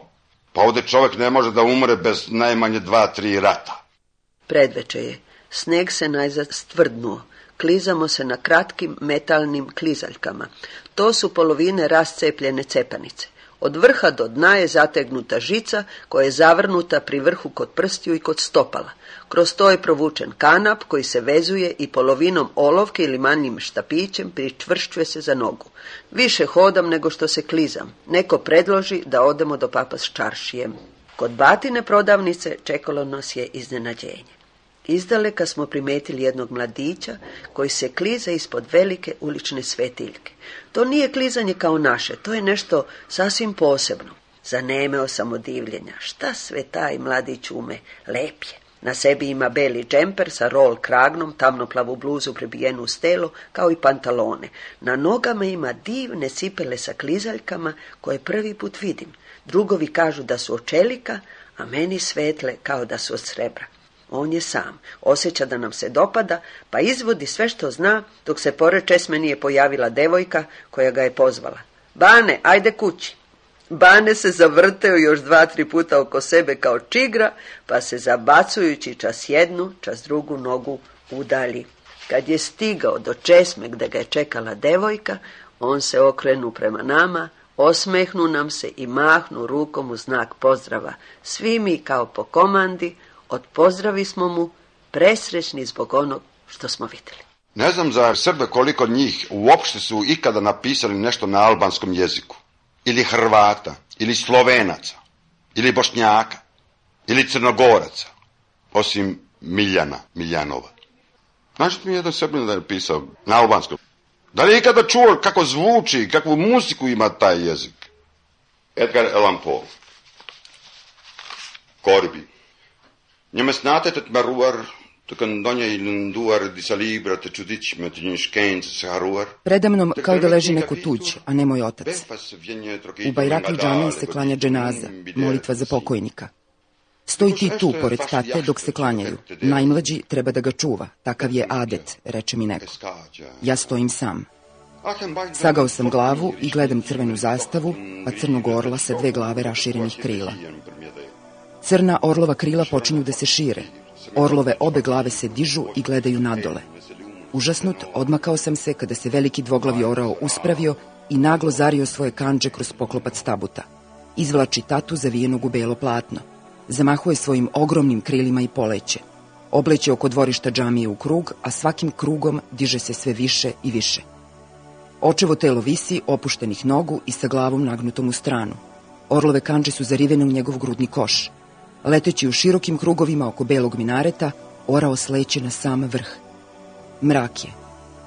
Pa ovdje čovjek ne može da umre bez najmanje 2-3 rata. Predveče je. Sneg se najzad stvrdnuo. Klizamo se na kratkim metalnim klizaljkama. To su polovine rascepljene cepanice. Od vrha do dna je zategnuta žica koja je zavrnuta pri vrhu kod prstiju i kod stopala. Kroz to je provučen kanap koji se vezuje i polovinom olovke ili manjim štapićem pričvršćuje se za nogu. Više hodam nego što se klizam. Neko predloži da odemo do papa s čaršijem. Kod batine prodavnice čekalo nas je iznenađenje. Izdaleka smo primetili jednog mladića koji se kliza ispod velike ulične svetiljke. To nije klizanje kao naše, to je nešto sasvim posebno. Zanemeo sam od divljenja. Šta sve taj mladić ume? Lep je. Na sebi ima beli džemper sa roll kragnom, tamnoplavu bluzu prebijenu uz telo, kao i pantalone. Na nogama ima divne cipele sa klizaljkama koje prvi put vidim. Drugovi kažu da su od čelika, a meni svetle kao da su od srebra. On je sam, osjeća da nam se dopada, pa izvodi sve što zna, dok se pored česme nije pojavila devojka koja ga je pozvala. Bane, ajde kući. Bane se zavrteo još 2-3 puta oko sebe kao čigra, pa se zabacujući čas jednu, čas drugu nogu udalji. Kad je stigao do česme gde ga je čekala devojka, on se okrenu prema nama, osmehnu nam se i mahnu rukom u znak pozdrava. Svi mi kao po komandi odpozdravi smo mu, presrećni zbog onog što smo vidjeli. Ne znam za Srbe koliko njih uopšte su ikada napisali nešto na albanskom jeziku. Ili Hrvata, ili Slovenaca, ili Bošnjaka, ili Crnogoraca, osim Miljanova. Znaš mi jedan Srbin da je pisao na albanskom? Da li je ikada čuo kako zvuči, kakvu muziku ima taj jezik? Edgar Allan Poe. Korbi. Njeme snatetet maruar, Predamnom kao da leži neko tuđ, a ne moj otac. U Bajrakli džamiji se klanja dženaza, molitva za pokojnika. Stoji ti tu, pored tate, dok se klanjaju. Najmlađi treba da ga čuva, takav je adet, reče mi neko. Ja stojim sam. Sagao sam glavu i gledam crvenu zastavu, pa crnog orla sa 2 glave raširenih krila. Crna orlova krila počinju da se šire. Orlove obe glave se dižu i gledaju nadole. Užasnut, odmakao sam se kada se veliki dvoglavi orao uspravio i naglo zario svoje kandže kroz poklopac tabuta. Izvlači tatu zavijenog u belo platno. Zamahuje svojim ogromnim krilima i poleće. Obleće oko dvorišta džamije u krug, a svakim krugom diže se sve više i više. Očevo telo visi, opuštenih nogu i sa glavom nagnutom u stranu. Orlove kandže su zarivene u njegov grudni koš. Leteći u širokim krugovima oko belog minareta, orao sleće na sam vrh. Mrak je.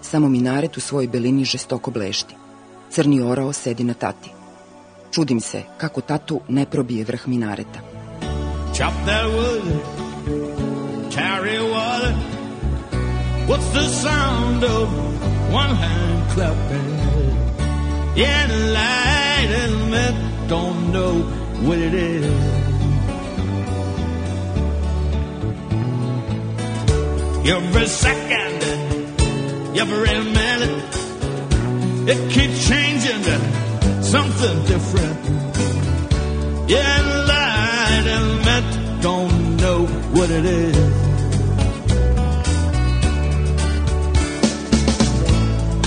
Samo minaret u svojoj belini žestoko blešti. Crni orao sedi na tati. Čudim se kako tatu ne probije vrh minareta. Chop that wood, carry water. What's the sound of one hand clapping? Yeah, the light and men don't know what it is. Every second, every minute, it keeps changing to something different. Yeah, the light and men don't know what it is.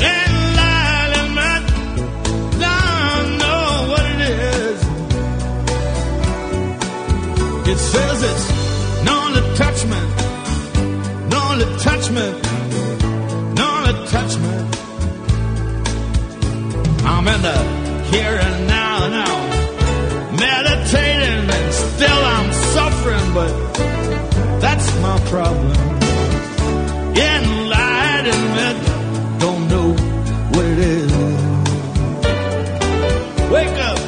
And light and men don't know what it is. It says it's known to touch me. Touch me, no attachment. I'm in the here and now, meditating and still I'm suffering, but that's my problem. Enlightenment, don't know what it is. Wake up.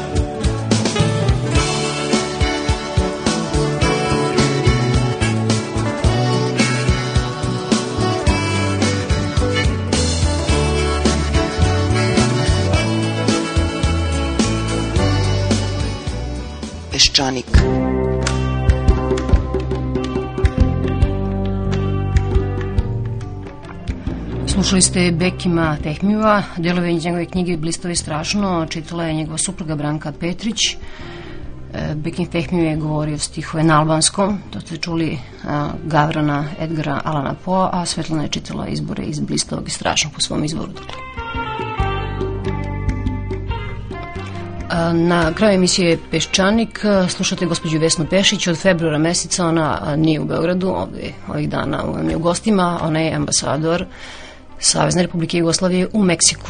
Peščanik. Slušali ste Bekima Fehmija, delove iz njegove knjige Blisto i strašno, čitala je njegova supruga Branka Petrić. Bekim Fehmiju je govorio stihove na albanskom, to ste čuli Gavrana Edgara Alana Poe, a Svetlana je čitala izbore iz Blistovog i strašnog po svom izvoru. Na kraju emisije Peščanik slušate gospođu Vesnu Pešić. Od februara meseca ona nije u Beogradu, ovih dana je u gostima, ona je ambasador Savezne Republike Jugoslavije u Meksiku.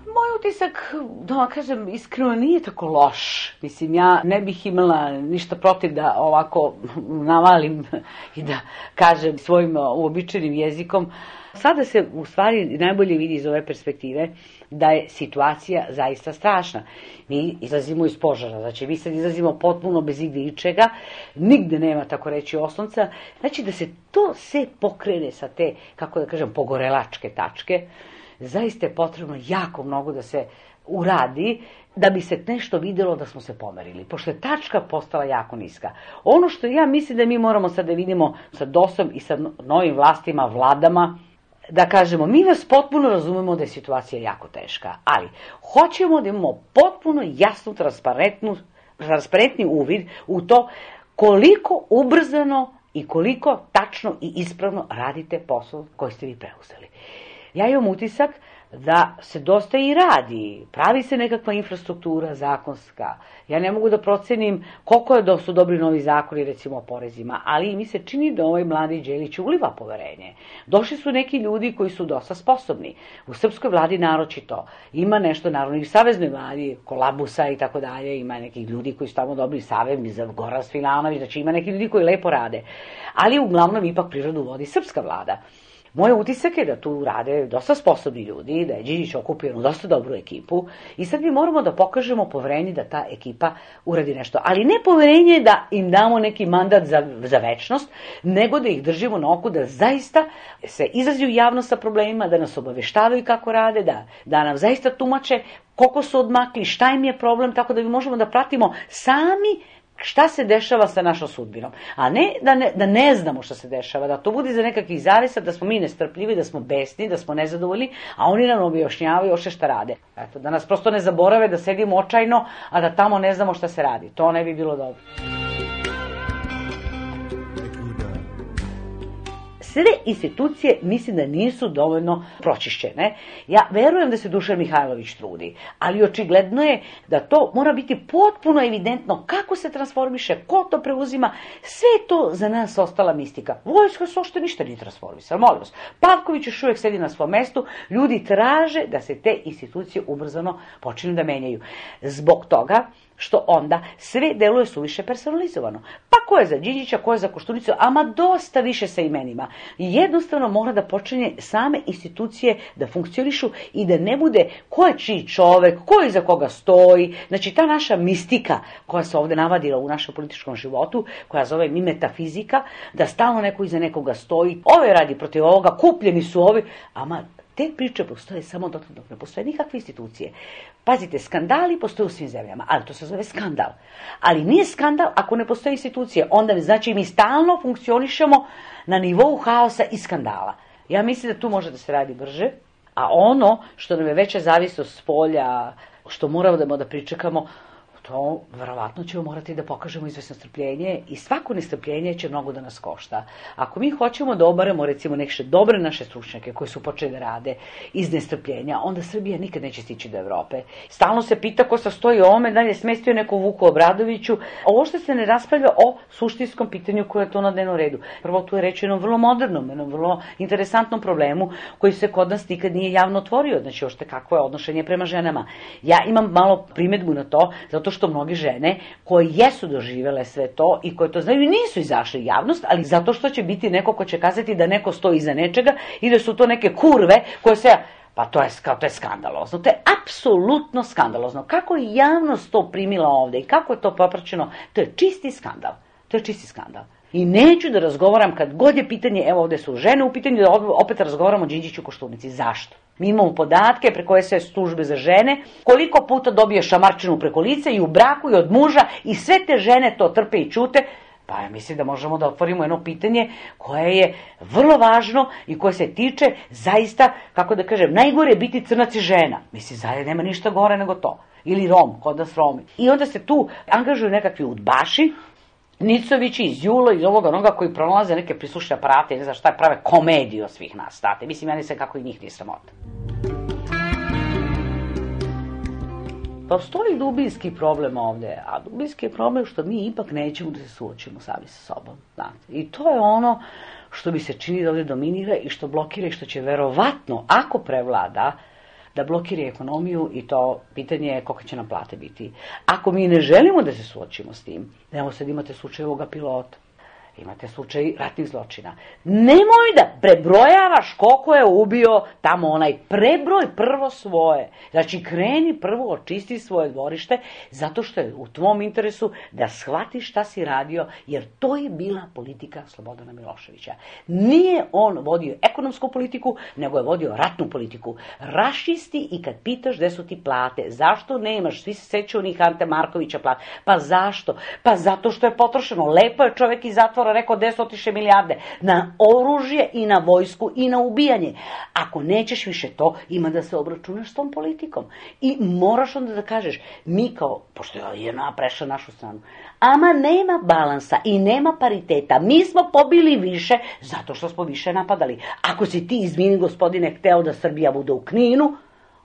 Moj utisak, da vam kažem, iskreno nije tako loš. Mislim, ja ne bih imala ništa protiv da ovako navalim i da kažem svojim uobičajenim jezikom. Sada se u stvari najbolje vidi iz ove perspektive da je situacija zaista strašna. Mi izlazimo iz požara, znači mi sad izlazimo potpuno bez igde ičega, nigde nema, tako reći, oslonca. Znači da se to sve pokrene sa te, kako da kažem, pogorelačke tačke, zaista je potrebno jako mnogo da se uradi da bi se nešto videlo da smo se pomerili, pošto je tačka postala jako niska. Ono što ja mislim da mi moramo sad da vidimo sa DOS-om i sa novim vlastima, vladama, da kažemo, mi vas potpuno razumemo da je situacija jako teška, ali hoćemo da imamo potpuno jasnu, transparentni uvid u to koliko ubrzano i koliko tačno i ispravno radite posao koji ste vi preuzeli. Ja imam utisak da se dosta i radi, pravi se nekakva infrastruktura zakonska. Ja ne mogu da procenim koliko je da su dobri novi zakoni, recimo o porezima, ali mi se čini da ovaj mladi Đelić uliva poverenje. Došli su neki ljudi koji su dosta sposobni. U srpskoj vladi naročito. Ima nešto, naravno, i u saveznoj vladi, Kolabusa i tako dalje, ima nekih ljudi koji su tamo dobri savez, Goran Svilanović, znači ima neki ljudi koji lepo rade. Ali uglavnom ipak prirodu vodi srpska vlada. Moj utisak je da tu rade dosta sposobni ljudi, da je Đinđić okupio jednu dosta dobru ekipu i sad mi moramo da pokažemo poverenje da ta ekipa uradi nešto. Ali ne poverenje da im damo neki mandat za večnost, nego da ih držimo na oku da zaista se izađu javno sa problemima, da nas obaveštavaju kako rade, da nam zaista tumače koliko su odmakli, šta im je problem, tako da mi možemo da pratimo sami šta se dešava sa našom sudbinom. A ne da ne znamo šta se dešava, da to bude za nekakvih zavisa, da smo mi nestrpljivi, da smo besni, da smo nezadovoljni, a oni nam objašnjavaju ošte šta rade. Eto, da nas prosto ne zaborave da sedimo očajno, a da tamo ne znamo šta se radi. To ne bi bilo dobro. Sve institucije mislim da nisu dovoljno pročišćene. Ja verujem da se Dušan Mihajlović trudi, ali očigledno je da to mora biti potpuno evidentno kako se transformiše, ko to preuzima. Sve je to za nas ostala mistika. Vojska se ošte ništa nije transformisala, molim vas. Pavković još uvijek sedi na svom mestu, ljudi traže da se te institucije ubrzano počinu da menjaju. Zbog toga što onda sve deluje suviše personalizovano. Pa ko je za Đinđića, ko je za Koštunicu, ama dosta više sa imenima. Jednostavno mora da počinje same institucije da funkcionišu i da ne bude ko je čiji čovek, ko je iza koga stoji. Znači ta naša mistika koja se ovde navadila u našem političkom životu, koja zove mi metafizika, da stalno neko iza nekoga stoji, ove radi protiv ovoga, kupljeni su ovi, ama te priče postoje samo dok ne postoje nikakve institucije. Pazite, skandali postoje u svim zemljama, ali to se zove skandal. Ali nije skandal ako ne postoje institucije. Onda znači mi stalno funkcionišemo na nivou haosa i skandala. Ja mislim da tu može da se radi brže, a ono što nam je veća zavisnost s polja, što moramo da pričekamo, to verovatno ćemo morati da pokažemo izvesno strpljenje i svako nestrpljenje će mnogo da nas košta. Ako mi hoćemo da obaremo recimo neke dobre naše stručnjake koji su počeli da rade iz nestrpljenja, onda Srbija nikad neće stići do Evrope. Stalno se pita ko sastoji ovome, da li je smestio neko Vuku Obradoviću. Ovo što se ne raspravlja o suštinskom pitanju koje je to na dnevnom redu. Prvo tu je reč o jednom vrlo modernom, jednom vrlo interesantnom problemu koji se kod nas nikad nije javno otvorio. Znači, ošte kakvo je odnošenje prema ženama. Ja imam malo primedbu na to, zato što mnoge žene koje jesu doživele sve to i koje to znaju nisu izašli javnost, ali zato što će biti neko ko će kazati da neko stoji iza nečega i da su to neke kurve koje se... Pa to je skandalozno, to je apsolutno skandalozno. Kako je javnost to primila ovde i kako je to popraćeno, to je čisti skandal. To je čisti skandal. I neću da razgovaram kad god je pitanje, evo ovde su žene u pitanju, da opet razgovaramo o Đinđiću Koštunici. Zašto? Mi imamo podatke preko SS službe za žene, koliko puta dobije šamarčinu preko lica i u braku i od muža i sve te žene to trpe i ćute. Pa ja mislim da možemo da otvorimo jedno pitanje koje je vrlo važno i koje se tiče zaista, kako da kažem, najgore je biti crnac i žena. Mislim, zajedno nema ništa gore nego to. Ili Rom, kod nas Romi. I onda se tu angažuju nekakvi udbaši, Nicovići iz Julo, iz onoga koji pronalaze neke prislušne aparate, ne znam šta, prave komediju od svih nas, state. Mislim, ja nisam kako i njih nije sramota. Postoji dubinski problem ovde, a dubinski je problem što mi ipak nećemo da se suočimo sami sa sobom. Znate. I to je ono što bi se čini da ovde dominira i što blokira i što će verovatno, ako prevlada, da blokira ekonomiju i to pitanje je koliko će nam plate biti. Ako mi ne želimo da se suočimo s tim, evo sad imate slučaj ovoga pilota, imate slučaj ratnih zločina. Nemoj da prebrojavaš koliko je ubio tamo onaj, prebroj prvo svoje. Znači kreni prvo očisti svoje dvorište zato što je u tvom interesu da shvatiš šta si radio, jer to je bila politika Slobodana Miloševića. Nije on vodio ekonomsku politiku, nego je vodio ratnu politiku. Rašisti i kad pitaš gde su ti plate, zašto nemaš, svi se sećaju onih Ante Markovića plate, pa zašto? Pa zato što je potrošeno. Lepo je čovek iz zatvora rekao 10 otiše milijarde na oružje i na vojsku i na ubijanje. Ako nećeš više to, ima da se obračunaš s tom politikom. I moraš onda da kažeš, mi kao, pošto je jedna prešla našu stranu, ama nema balansa i nema pariteta. Mi smo pobili više zato što smo više napadali. Ako si ti, izvini gospodine, hteo da Srbija bude u Kninu,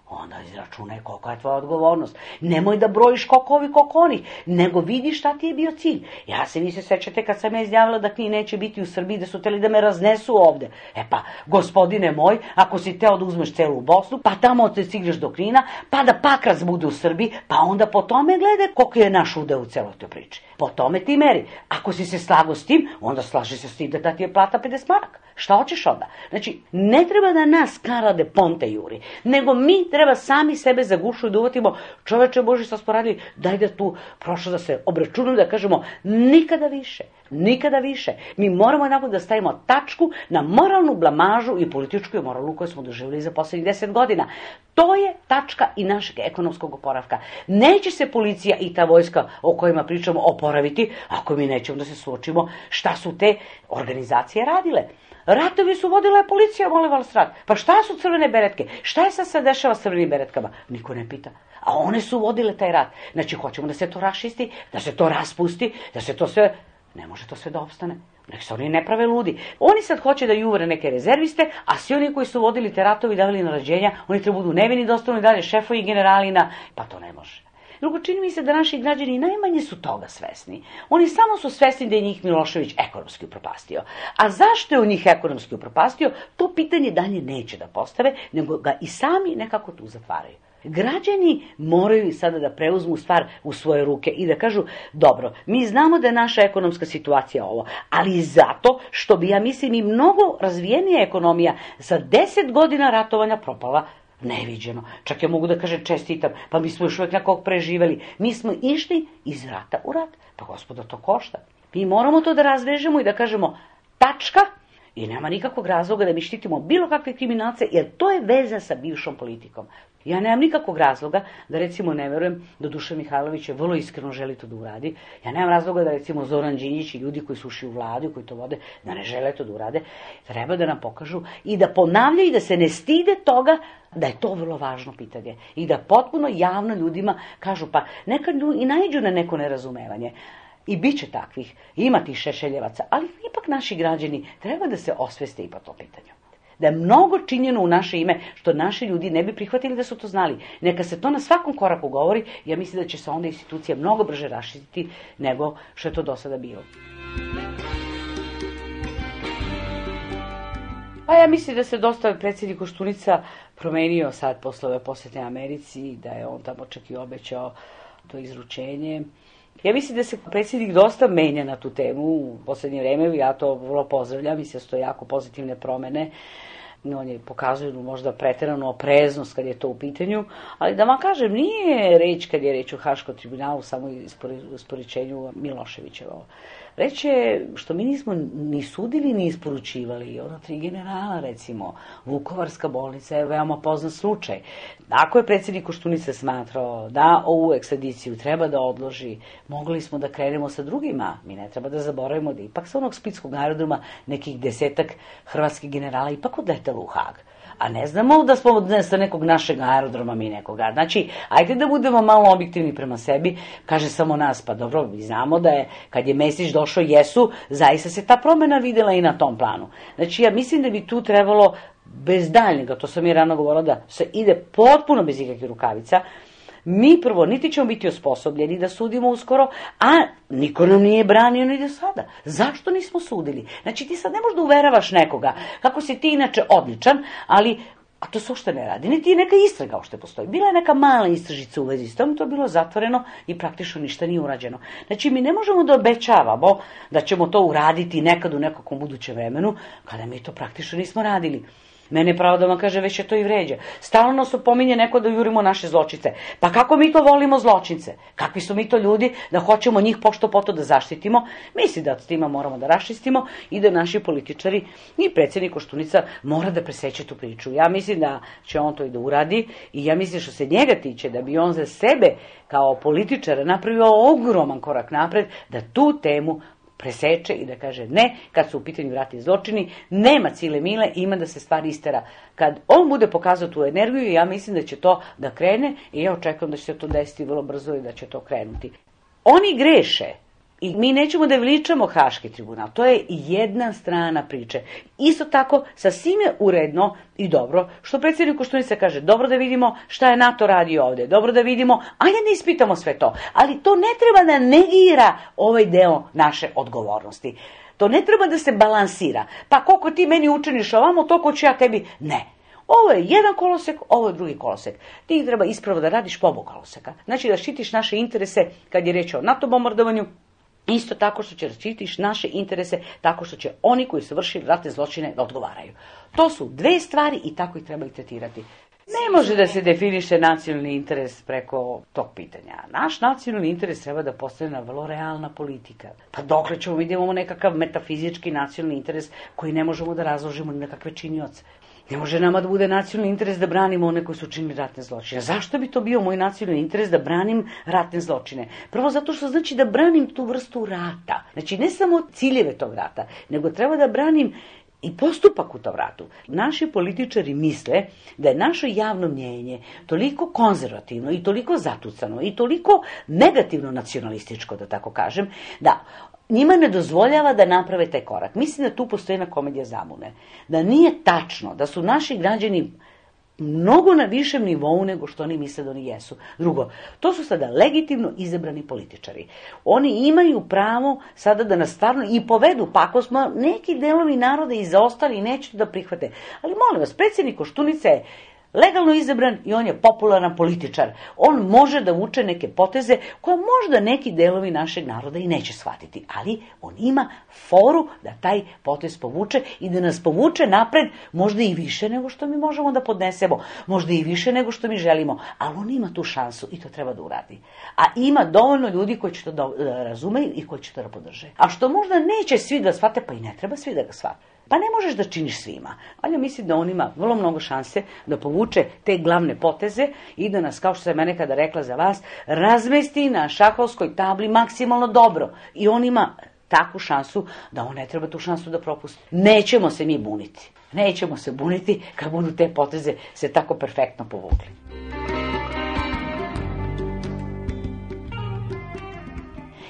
onda izračunaj kolika je tvoja odgovornost. Nemoj da brojiš koliko ovi, koliko onih, nego vidi šta ti je bio cilj. Ja se vi se sećate kad sam ja izjavila da Knin neće biti u Srbiji, da su hteli da me raznesu ovde. E pa, gospodine moj, ako si teo da uzmeš celu Bosnu, pa tamo te stigneš do Knina, pa da Pakrac bude u Srbiji, pa onda po tome gledaj koliko je naš udeo u celoj toj priči. po tome ti meri. Ako si se slago s tim, onda slaži se s tim da ti je plata 50 maraka. Šta hoćeš onda? Znači, ne treba da nas Karade Ponte juri, nego mi treba sami sebe za gušu i da uvatimo, čoveče Boži, šta smo radili, daj da tu prošlo da se obračunamo, da kažemo nikada više. Nikada više. Mi moramo jednako da stavimo tačku na moralnu blamažu i političku moralu koju smo doživjeli za poslednjih 10 godina. To je tačka i našeg ekonomskog oporavka. Neće se policija i ta vojska o kojima pričamo oporaviti ako mi nećemo da se suočimo šta su te organizacije radile. Ratovi su vodila policija, molim vas rat. Pa šta su crvene beretke? Šta je sad se dešava s crvenim beretkama? Niko ne pita. A one su vodile taj rat. Znači, hoćemo da se to rašisti, da se to raspusti, da se to sve... Ne može to sve da opstane. Nek se oni ne prave ludi. Oni sad hoće da juvre neke rezerviste, a svi oni koji su vodili te ratovi i davali naređenja, oni treba budu nevini da ostanu i dalje šefovi i generalina. Pa to ne može. Drugo, čini mi se da naši građani najmanje su toga svesni. Oni samo su svesni da je njih Milošević ekonomski upropastio. A zašto je u njih ekonomski upropastio, to pitanje dalje neće da postave, nego ga i sami nekako tu zatvaraju. Građani moraju sada da preuzmu stvar u svoje ruke i da kažu, dobro, mi znamo da je naša ekonomska situacija ovo, ali zato što bi, ja mislim, i mnogo razvijenija ekonomija za 10 godina ratovanja propala neviđeno. Čak ja mogu da kažem čestitam, pa mi smo još uvijek nekog preživeli. Mi smo išli iz rata u rat. Pa gospodo, to košta. Mi moramo to da razvežemo i da kažemo tačka i nema nikakvog razloga da mi štitimo bilo kakve kriminalce, jer to je veza sa bivšom politikom. Ja nemam nikakvog razloga da, recimo, ne verujem da Dušan Mihajlović je vrlo iskreno želi to da uradi. Ja nemam razloga da, recimo, Zoran Đinđić i ljudi koji su ušli u vladu i koji to vode, da ne žele to da urade. Treba da nam pokažu i da ponavljaju i da se ne stide toga da je to vrlo važno pitanje. I da potpuno javno ljudima kažu, pa nekad i naiđu na neko nerazumevanje. I bit će takvih, ima tih šešeljevaca, ali ipak naši građani treba da se osveste i po to pitanju. Da je mnogo činjeno u naše ime, što naši ljudi ne bi prihvatili da su to znali. Neka se to na svakom koraku govori, ja mislim da će se onda institucija mnogo brže raširiti nego što je to do sada bilo. Pa ja mislim da se dosta predsjednik Koštunica promenio sad posle ove posete Americi, da je on tamo čak i obećao to izručenje. Ja mislim da se predsjednik dosta menja na tu temu u poslednje vreme, ja to vrlo pozdravljam, mislim da su to jako pozitivne promene. On je pokazuje možda preteranu opreznost kad je to u pitanju, ali da vam kažem, nije reč kad je reč o Haškom tribunalu samo isporučenju Miloševićevo. Reč je što mi nismo ni sudili ni isporučivali. Ono 3 generala, recimo, Vukovarska bolnica je veoma poznat slučaj. Ako je predsjednik Koštunica smatrao da ovu ekstradiciju treba da odloži, mogli smo da krenemo sa drugima. Mi ne treba da zaboravimo da ipak sa onog splitskog aerodroma nekih 10 hrvatskih generala ipak odletelo u Hag. A ne znamo da smo sa nekog našeg aerodroma mi nekoga. Znači, ajde da budemo malo objektivni prema sebi, kaže samo nas, pa dobro, mi znamo da je, kad je Mesić došao, zaista se ta promjena videla i na tom planu. Znači, ja mislim da bi tu trebalo bez daljnjega, to sam i rano govorila, da se ide potpuno bez ikakvih rukavica. Mi prvo niti ćemo biti osposobljeni da sudimo uskoro, a niko nam nije branio ni do sada. Zašto nismo sudili? Znači ti sad ne možeš da uveravaš nekoga kako si ti inače odličan, ali a to se uopšte ne radi. Niti je neka istraga uopšte postoji. Bila je neka mala istražica u vezi s tom, to je bilo zatvoreno i praktično ništa nije urađeno. Znači mi ne možemo da obećavamo da ćemo to uraditi nekad u nekakvom budućem vremenu, kada mi to praktično nismo radili. Mene pravo da vam kaže, već je to i vređa. Stalno nas opominje neko da jurimo naše zločince. Pa kako mi to volimo zločince? Kakvi su mi to ljudi da hoćemo njih pošto poto da zaštitimo? Mislim da s tima moramo da raščistimo i da naši političari i predsjednik Koštunica mora da preseće tu priču. Ja mislim da će on to i da uradi i ja mislim što se njega tiče da bi on za sebe kao političar napravio ogroman korak napred da tu temu preseče i da kaže ne, kad su u pitanju ratni zločini, nema cile mile, ima da se stvar istera. Kad on bude pokazao tu energiju, ja mislim da će to da krene i ja očekujem da će se to desiti vrlo brzo i da će to krenuti. Oni greše i mi nećemo da veličamo Haški tribunal, to je jedna strana priče. Isto tako, sasvim je uredno i dobro, što predsjednik Koštunica kaže, dobro da vidimo šta je NATO radi ovde, dobro da vidimo, ajde da ispitamo sve to, ali to ne treba da negira ovaj deo naše odgovornosti. To ne treba da se balansira, pa koliko ti meni učiniš ovamo, toliko ću ja tebi, ne. Ovo je jedan kolosek, ovo je drugi kolosek. Ti treba ispravo da radiš po oba koloseka. Znači da štitiš naše interese kad je reč o NATO bombardovanju, Isto tako što će štitiš naše interese, tako što će oni koji su vršili ratne zločine da odgovaraju. To su dve stvari i tako ih treba i tretirati. Ne može da se definiše nacionalni interes preko tog pitanja. Naš nacionalni interes treba da postane vrlo realna politika. Pa dokle ćemo mi da imamo nekakav metafizički nacionalni interes koji ne možemo da razložimo ni nekakve činioce. Ne može nama da bude nacionalni interes da branimo one koji su učinili ratne zločine. Zašto bi to bio moj nacionalni interes da branim ratne zločine? Prvo zato što znači da branim tu vrstu rata. Znači ne samo ciljeve tog rata, nego treba da branim i postupak u tom ratu. Naši političari misle da je naše javno mnjenje toliko konzervativno i toliko zatucano i toliko negativno nacionalističko, da tako kažem, da njima ne dozvoljava da naprave taj korak. Mislim da tu postoji jedna komedija zamune. Da nije tačno da su naši građani mnogo na višem nivou nego što oni misle da oni jesu. Drugo, to su sada legitimno izabrani političari. Oni imaju pravo sada da nas stvarno i povedu, pa ako smo neki delovi naroda i zaostali i neće da prihvate. Ali molim vas, predsjednik Koštunica je legalno izabran i on je popularan političar. On može da vuče neke poteze koje možda neki delovi našeg naroda i neće shvatiti, ali on ima foru da taj potez povuče i da nas povuče napred možda i više nego što mi možemo da podnesemo, možda i više nego što mi želimo, ali on ima tu šansu i to treba da uradi. A ima dovoljno ljudi koji će to da razumeju i koji će to da podrže. A što možda neće svi da shvate, pa i ne treba svi da ga shvate. Pa ne možeš da činiš svima, ali ja mislim da on ima vrlo mnogo šanse da povuče te glavne poteze i da nas, kao što sam ja nekada rekla za vas, razmesti na šahovskoj tabli maksimalno dobro. I on ima takvu šansu da on ne treba tu šansu da propusti. Nećemo se mi buniti. Nećemo se buniti kad budu te poteze se tako perfektno povukli.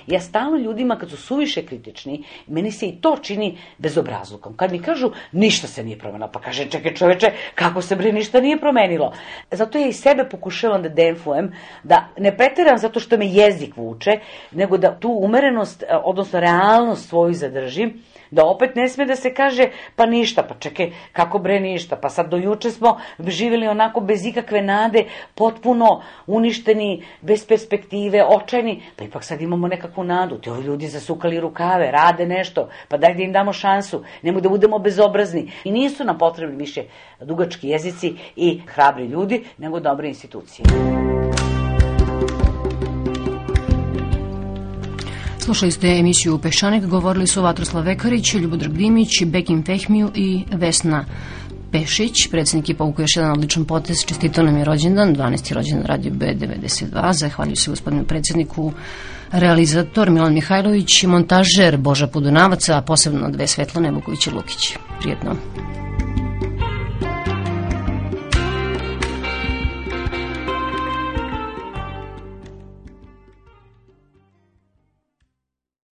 Ja stalno ljudima kad su suviše kritični, meni se i to čini bezobrazlukom. Kad mi kažu ništa se nije promenilo, pa kaže čekaj čoveče, kako se bre ništa nije promenilo. Zato ja i sebe pokušavam da demfujem, da ne preteram zato što me jezik vuče, nego da tu umerenost, odnosno realnost svoju zadržim, da opet ne sme da se kaže pa ništa, pa čekaj, kako bre ništa, pa sad do juče smo živjeli onako bez ikakve nade, potpuno uništeni, bez perspektive, očajni, pa ipak sad imamo nekakvu nadu, ti ovi ljudi zasukali rukave, rade nešto, pa daj da im damo šansu, nemoj da budemo bezobrazni. I nisu nam potrebni više dugački jezici i hrabri ljudi, nego dobre institucije. Slušali ste emisiju Peščanik, govorili su Vatroslav Vekarić, Ljubodrag Dimić, Bekim Fehmiju i Vesna Pešić. Predsjednik je povukao još jedan odličan potez, čestitao nam je rođendan, 12. rođendan Radio B92, zahvaljuju se gospodinu predsjedniku, realizator Milan Mihajlović, montažer Boža Podunavac, a posebno dve Svetlane Vuković i Lukić. Prijetno.